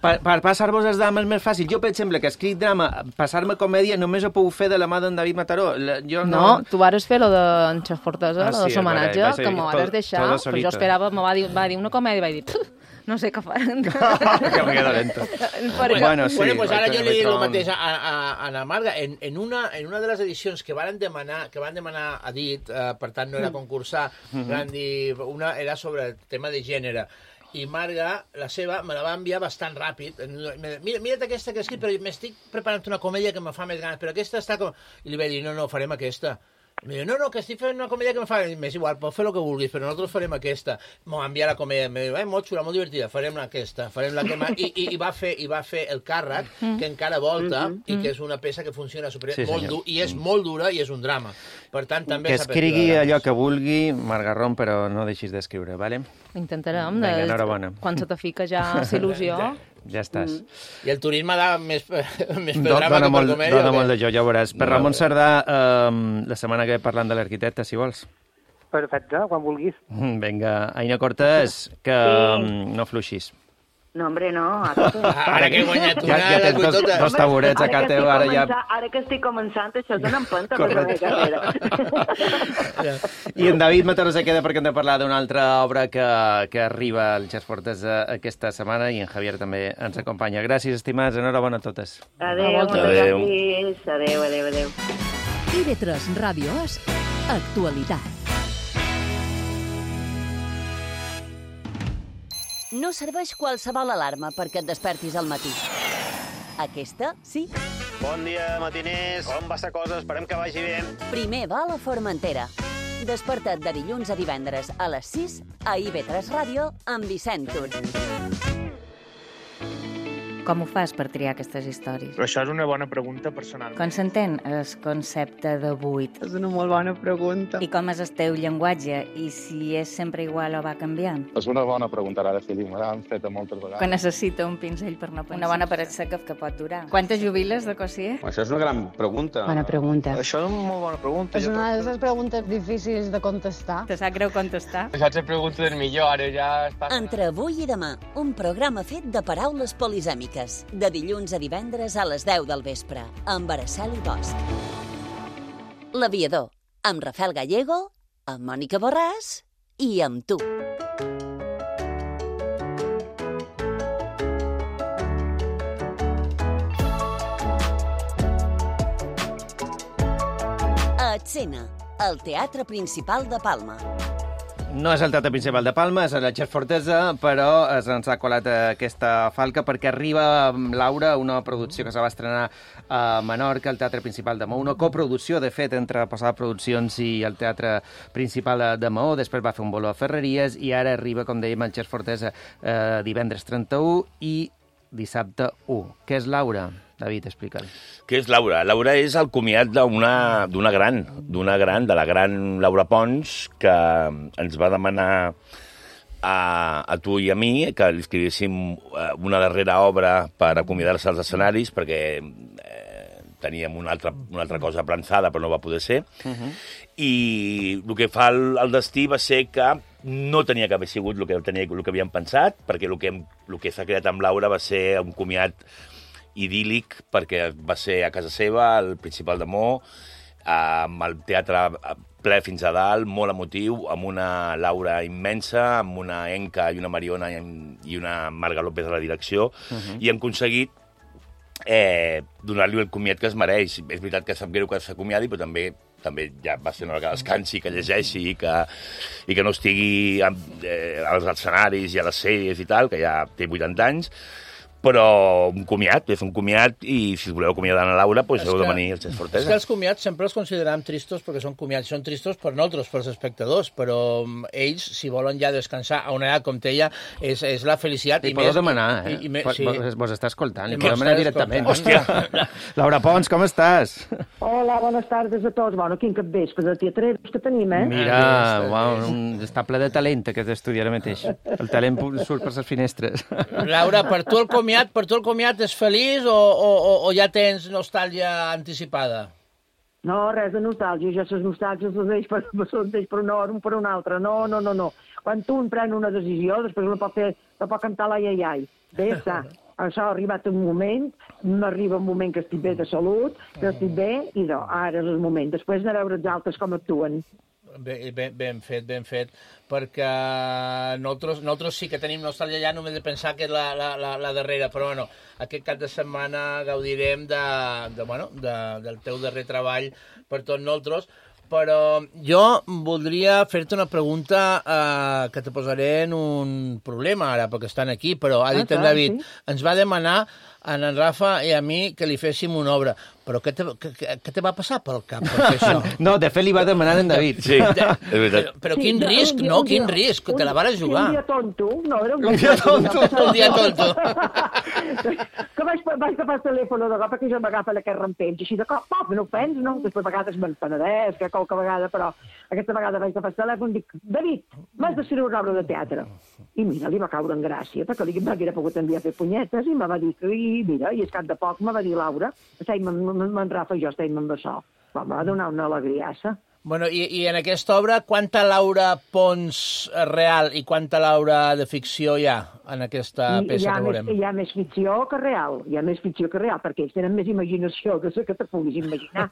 Per passar-vos els drames més fàcil. Jo, per exemple, que escric drama, passar-me comèdia només ho puc fer de la mà d'en David Mataró. No, tu vas fer lo d'en Xef Fortesa, lo de l'homenatge, que m'ho vas deixar, però jo esperava, va dir una comèdia i vaig dir, no sé què faran. Que me queda lento. Bueno, pues ara jo li dic el mateix a la Marga. En una de les edicions que van demanar a dit, per tant no era concursar, van dir, una era sobre el tema de gènere. I Marga, la seva, me la va enviar bastant ràpid. Mira't aquesta que he escrit, però m'estic preparant una comèdia que me fa més ganes, però aquesta està com... I li vaig dir, no, farem aquesta. I em diu, no, que estic fent una comèdia que me fa... M'és igual, pots fer el que vulguis, però nosaltres farem aquesta. M'ho va enviar la comèdia, em diu, molt xula, molt divertida, farem aquesta, farem la que... I va fer el càrrec, que encara volta, i que és una peça que funciona molt dur, i és molt dura, i és un drama. Per tant, també... Que escrigui allò que vulgui, Margarron, però no deixis d'escriure, vale? Intentarem. Vinga, enhorabona. Quan se te fica ja l'il·lusió... Ja estàs. I el turisme da més per drama que per comèdia. Dona molt de jo, ja ho veuràs. Per Ramon Cerdà, la setmana que ve parlant de l'arquitecte, si vols. Perfecte, quan vulguis. Vinga, Aina Cortés, que no fluixis. No, hombre, no. Ara que he guanyat una... Ja tens dos taburets a casa teu, ara ja... Ara que estic començant, això dona empenta per la meva carrera. I en David Mataró se queda perquè hem de parlar d'una altra obra que arriba al Xef Fortesa aquesta setmana, i en Javier també ens acompanya. Gràcies, estimats, enhorabona a totes. Adéu. Adéu. TV3 Ràdio És Actualitat. No serveix qualsevol alarma perquè et despertis al matí. Aquesta, sí. Bon dia, matiners. Com va la cosa? Esperem que vagi bé. Primer va a la Formentera. Desperta't de dilluns a divendres a les 6 a IB3 Ràdio amb Vicent Tur. Com ho fas per triar aquestes històries? Però això és una bona pregunta personal. Com s'entén el concepte de buit? És una molt bona pregunta. I com és el teu llenguatge? I si és sempre igual o va canviant? És una bona pregunta, ara sí, me l'han fet moltes vegades. Que necessita un pinzell per no pensar. Una bona paret seca que pot durar. Quantes jubiles de Cossier? Això és una gran pregunta. Bona pregunta. Això és una molt bona pregunta. És una de les preguntes difícils de contestar. Te sap greu contestar? Això és la pregunta del millor, ara ja està... Entre avui i demà, un programa fet de paraules polisèmiques. De dilluns a divendres a les 10 del vespre, amb Araceli Bosch. L'Aviador, amb Rafael Gallego, amb Mònica Borràs i amb tu. A Escena, el Teatre Principal de Palma. No és el Teatre Principal de Palma, és el Xef Fortesa, però ens ha colat aquesta falca perquè arriba, Laura, una producció que se va estrenar a Menorca, al Teatre Principal de Maó, una coproducció, de fet, entre Posada Produccions i el Teatre Principal de Maó, després va fer un bolo a Ferreries i ara arriba, com dèiem, el Xef Fortesa divendres 31 i dissabte 1. Què és Laura? David, explica'l. Què és Laura? Laura és el comiat d'una gran, de la gran Laura Pons, que ens va demanar a tu i a mi que li escrivéssim una darrera obra per acomiadar-se als escenaris, perquè teníem una altra cosa plançada, però no va poder ser. I el que fa el destí va ser que no tenia que haver sigut el que havíem pensat, perquè el que s'ha creat amb Laura va ser un comiat idíl·lic, perquè va ser a casa seva, al Principal de Maó, amb el teatre ple fins a dalt, molt emotiu, amb una Laura immensa, amb una Enca i una Mariona i una Marga López a la direcció, i hem aconseguit donar-li el comiat que es mereix. És veritat que sap greu que s'acomiadi, però també també ja va ser una hora que descansi, que llegeixi i que no estigui als escenaris i a les sèries i tal, que ja té 80 anys, però un comiat, fer un comiat, i si us voleu acomiadar a Laura, doncs heu de venir al Xesc Fortesa. És que els comiats sempre els considerem tristos perquè són comiats, són tristos per nosaltres, pels espectadors, però ells, si volen ja descansar a una edat com té ella, és la felicitat. I podeu demanar, sí. Vos està escoltant, li podeu demanar directament. Hòstia! Laura Pons, com estàs? Hola, bones tardes a tots. Bueno, quin capvespre de teatreros que tenim, eh? Mira, està ple de talent aquest estudi ara mateix. El talent surt per les finestres. Laura, per tu el comiat és feliç o ja tens nostàlgia anticipada? No, res de nostàlgia. Ja les nostàlgies les deixo per un altre. No. Quan un pren una decisió, després no pot cantar l'ai. Bé, està. Això ha arribat un moment, m'arriba un moment que estic bé de salut, que estic bé, i ara és el moment. Després de veure els altres com actuen. Ben fet, perquè nosaltres sí que tenim nostàlgia ja només de pensar que és la darrera, però bueno, aquest cap de setmana gaudirem del teu darrer treball per tots nosaltres, però jo voldria fer-te una pregunta que te posaré en un problema ara, perquè estan aquí, però ha dit en David, ens va demanar a en Rafa i a mi que li féssim una obra. Però què te va passar pel cap per fer això? No, de fet li va demanar en David. Sí, és veritat. Però quin risc, no? Quin risc? Te la vas jugar. Un dia tonto. No, era un dia tonto. Un dia tonto. Que vaig agafar el telèfon de cop, perquè jo m'agafa aquest rampell. Així de cop, no ho pens, no? Després a vegades me'n penedeix, que qualque vegada, però aquesta vegada vaig agafar el telèfon i dic, David, m'has d'escriure una obra de teatre. I mira, li va caure en gràcia, perquè li m'haguera pogut enviar a fer punyetes, i me va dir que, mira, i és cap de poc, me va dir Laura, en Rafa i jo estem amb això. Em va donar una alegriassa. Bueno, i en aquesta obra, quanta Laura Pons real i quanta Laura de ficció hi ha en aquesta peça que veurem? Hi ha més ficció que real. Perquè ells tenen més imaginació que te puguis imaginar.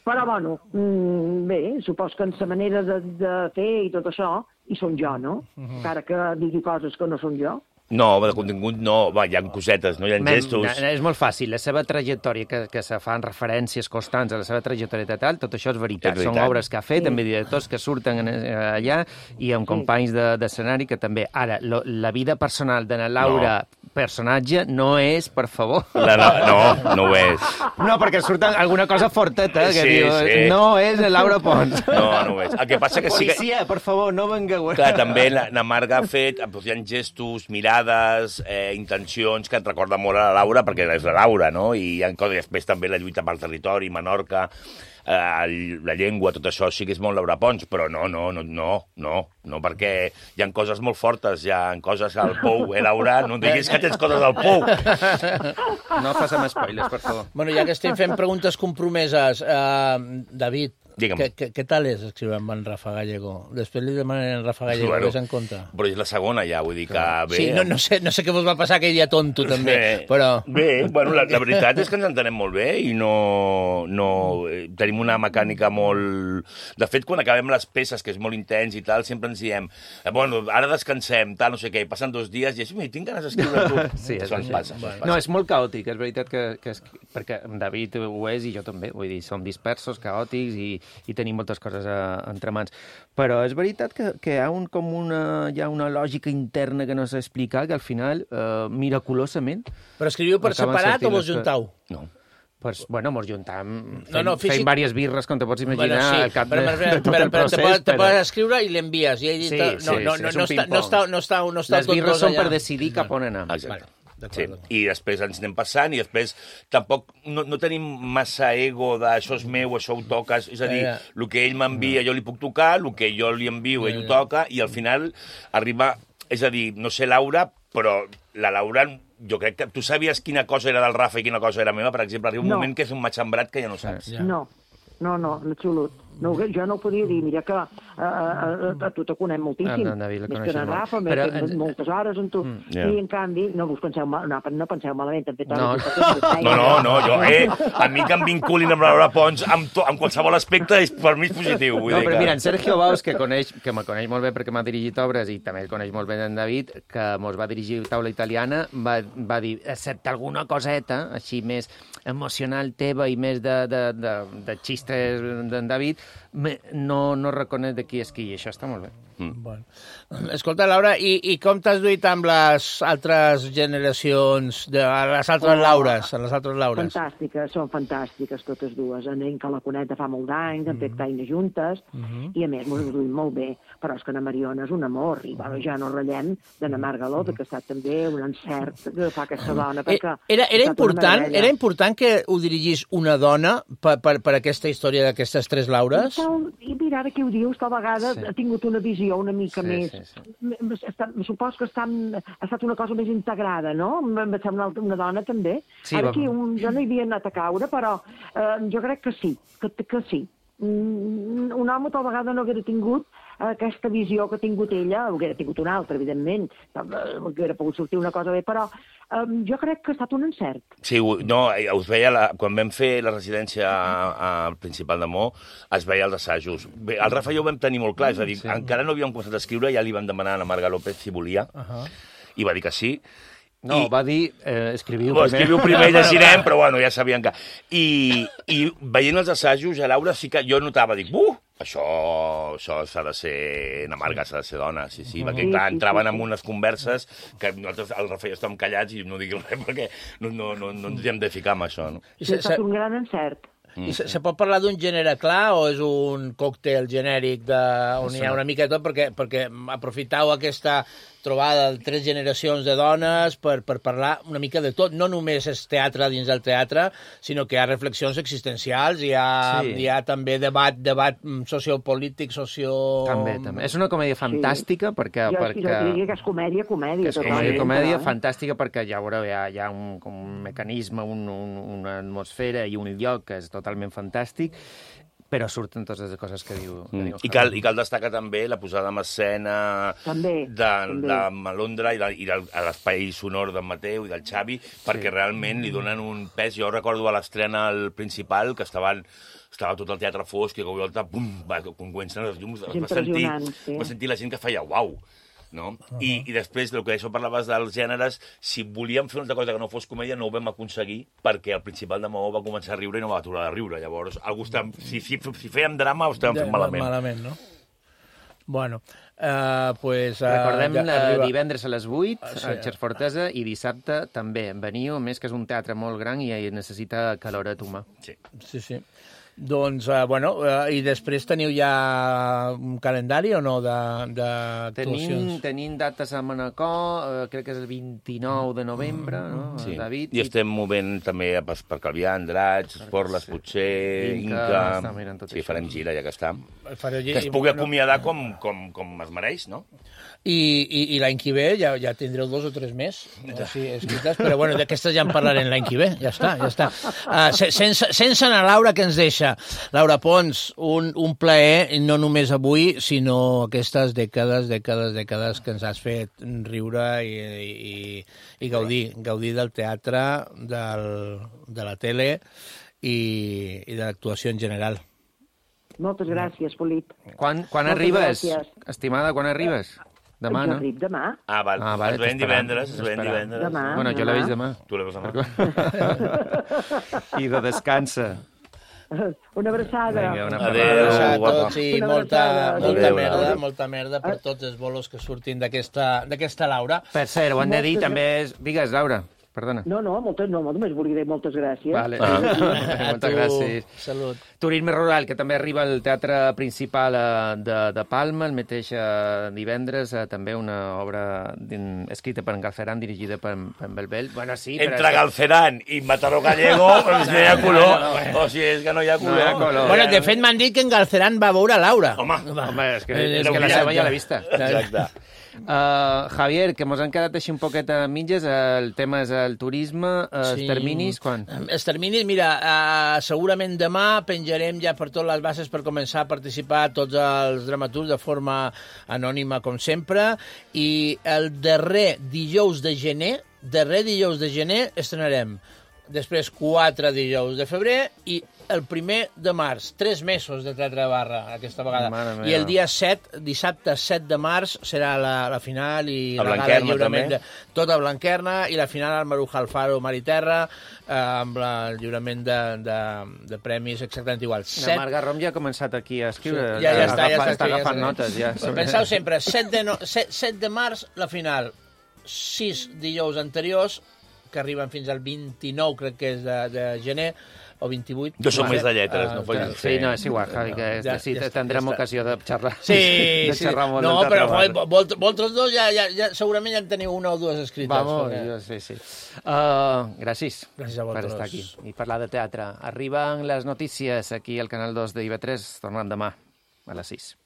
Però, bueno, bé, supos que en la manera de fer i tot això, hi som jo, no? Encara que digui coses que no són jo. No, de contingut no, hi ha cosetes, no hi ha gestos. És molt fàcil, la seva trajectòria, que se fan referències constants a la seva trajectòria teatral, tot això és veritat. Són obres que ha fet, també directors que surten allà i amb companys d'escenari que també. Ara, la vida personal de la Laura personatge no és, per favor. No ho és. No, perquè surten alguna cosa forteta, que diu, no és Laura Pons. No ho és. El que passa que sí que... Policia, per favor, no vengueu. Clar, també la Marga ha fet, hi ha gestos, mirades, intencions que et recorden molt a la Laura, perquè és la Laura, no? I hi ha coses, després també la lluita pel territori, Menorca, la llengua, tot això sí que és molt Laura Pons, però no, perquè hi ha coses molt fortes, hi ha coses al pou, Laura? No diguis que tens coses al pou. No faci més spoilers, per favor. Bueno, ja que estem fent preguntes compromeses, David, què tal és escriure amb en Rafa Gallego? Després li demanen en Rafa Gallego, ves en compte. Però és la segona ja, vull dir que bé... Sí, no sé què vos va passar aquell dia tonto, també, però... Bé, bueno, la veritat és que ens entenem molt bé i no... Tenim una mecànica molt... De fet, quan acabem les peces, que és molt intens i tal, sempre ens diem, bueno, ara descansem, tal, no sé què, i passen 2 dies i així, tinc ganes d'escriure tu. Sí, això ens passa. No, és molt caòtic, és veritat que perquè David ho és i jo també, vull dir, som dispersos, caòtics i tenim moltes coses entre mans. Però és veritat que hi ha una lògica interna que no s'ha explicat, que al final, miraculosament... Però escriviu per separat o vos juntau? No. Pues, bueno, mos juntam fent diverses birres, com te pots imaginar, al cap de tot el procés. Te pots escriure i l'envies. No està les birres són per decidir cap on anar. Exacte. Sí. I després ens anem passant i després tampoc no tenim massa ego de això és meu, això ho toques, és a dir, el que ell m'envia jo li puc tocar, el que jo li envio ell ho toca i al final arriba, és a dir, no sé Laura, però la Laura, jo crec que tu sabies quina cosa era del Rafa i quina cosa era meva, per exemple, arriba un moment que és un matxembrat que ja no saps. No, en absolut. No, jo no ho podia dir, mira que a tu te conec moltíssim. En David la més coneixes que en molt. Rafa, Però m'he fet moltes hores amb tu. Yeah. I en canvi, no penseu malament, també No, jo, a mi que em vinculin amb la Laura Pons amb qualsevol aspecte, per mi és positiu. No, però mira, en Sergio Baus, que me coneix molt bé perquè m'ha dirigit obres i també el coneix molt bé en David, que mos va dirigir Taula Italiana, va dir, excepte alguna coseta, així més emocional teva i més de xistes d'en David, no reconeix de qui és qui, i això està molt bé. Bueno. Escolta, Laura, i com t'has duit amb les altres generacions, les altres Laures? Fantàstiques, són fantàstiques totes dues. En que la conec de fa molt d'anys, hem fet feina juntes, i a més m'ho hem duit molt bé. Però és que na Mariona és un amor, i bueno, ja no ratllem de na Margaló, que ha estat també un encert que fa aquesta dona. Era important que ho dirigís una dona per aquesta història d'aquestes tres Laures? I mira, ara que ho dius, tal vegada ha tingut una visió una mica més... Supos que ha estat una cosa més integrada, no? Em sembla una dona també. Ara aquí jo no hi havia anat a caure, però jo crec que sí, que sí. Un home tal vegada no haguera tingut aquesta visió que ha tingut ella, hauria tingut una altra, evidentment, hauria pogut sortir una cosa bé, però jo crec que ha estat un encert. Sí, no, us veia, quan vam fer la residència al Principal de Mo, es veia els assajos. Bé, el Rafa i jo ho vam tenir molt clar, és a dir, encara no havíem començat a escriure, ja li vam demanar a la Marga López si volia, i va dir que sí. No, va dir, escriviu primer. Escriviu primer i llegirem, però bueno, ja sabien que... I veient els assajos, a Laura sí que jo notava, dic, això s'ha de ser... Na Marga s'ha de ser dona, sí, perquè clar, entraven en unes converses que nosaltres, el Rafa i jo estàvem callats i no diguem res perquè no ens hem de ficar amb això, no? Ha estat un gran encert. I se pot parlar d'un gènere clar o és un còctel genèric on hi ha una mica de tot? Perquè aprofitau aquesta trobada de 3 generacions de dones per parlar una mica de tot. No només és teatre dins del teatre, sinó que hi ha reflexions existencials, hi ha també debat sociopolític, També. És una comèdia fantàstica perquè... Jo diria que és comèdia. És comèdia fantàstica perquè ja veureu, hi ha un mecanisme, una atmosfera i un lloc que és totalment fantàstic, però surten totes les coses que diu. I cal destacar també la posada en escena de Malondra i a l'espai sonor d'en Mateu i del Xavi, perquè realment li donen un pes. Jo recordo a l'estrena al Principal, que estava tot el teatre fosc, i a cop volta, quan comencen les llums, va sentir la gent que feia uau. No? I després, del que això parlaves dels gèneres, si volíem fer una altra cosa que no fos comèdia, no ho vam aconseguir, perquè el Principal de Maó va començar a riure i no va aturar de riure. Llavors, si fèiem drama, ho estàvem fent malament. Malament, no? Bueno, recordem divendres a les 8 al Xers Fortesa i dissabte també. Veniu, a més que és un teatre molt gran i necessita caloret humà. Sí. Doncs, i després teniu ja un calendari o no d'actuacions? Tenim dates a Manacor, crec que és el 29 de novembre, no? Sí. David. I estem movent també per Calvià, Andratx, Porles, potser, Inca... Sí, farem gira, ja que està. Que es pugui acomiadar com es mereix, no? I l'any que ve ja tindreu 2 o 3 més escrites, però bueno, d'aquestes ja en parlarem l'any que ve, ja està. Sense anar Laura, que ens deixa. Laura Pons, un plaer, no només avui, sinó aquestes dècades que ens has fet riure i gaudir del teatre, de la tele i de l'actuació en general. Moltes gràcies, Felip. Quan arribes, estimada, quan arribes? Demà, no? Jo arrib demà. Val. Es veiem divendres. Demà. Bueno, jo la veig demà. Tu la veus demà. I de descansa. Una abraçada. Adéu a tots i molta merda per tots els bolos que surtin d'aquesta Laura. Per cert, ho han de dir també... Digues, Laura. Perdona. No, només volia dir moltes gràcies. Vale. Moltes gràcies. Salut. Turisme Rural, que també arriba al Teatre Principal de Palma, el mateix divendres, també una obra escrita per en Galceran, dirigida per en Belbel. Bueno, sí, entre Galceran i Mataró Gallego, no hi ha color. O sigui, és que no hi ha color. Bueno, de fet, m'han dit que en Galceran va veure Laura. Home, és que la seva ja l'he vista. Exacte. Javier, que mos han quedat així un poquet a mitges, el tema és el turisme, els terminis, quan? Els terminis, mira, segurament demà penjarem ja per totes les bases per començar a participar tots els dramaturgs de forma anònima, com sempre, i el darrer dijous de gener estrenarem. Després 4 dijous de febrer i el 1 de març. 3 mesos de teatre de barra aquesta vegada. I el dia 7, dissabte 7 de març, serà la final i la gala lliurament. Tot a Blanquerna i la final al Maruja Alfaro, Mar i Terra, amb el lliurament de premis exactament igual. La Marc Garrom ja ha començat aquí a escriure. Ja està agafant notes. Penseu sempre, 7 de març la final, 6 dijous anteriors, que arriben fins al 29, crec que és de gener, o 28. Jo soc més de lletres, no pots dir. Sí, no, és igual, Javi, que sí, tindrem ocasió de xerrar. Sí, molt. No, però vosaltres dos segurament ja en teniu una o dues escrites. Vamos, sí. Gràcies a vosaltres per estar aquí i parlar de teatre. Arriben les notícies aquí al Canal 2 de IB3, tornant demà a les 6.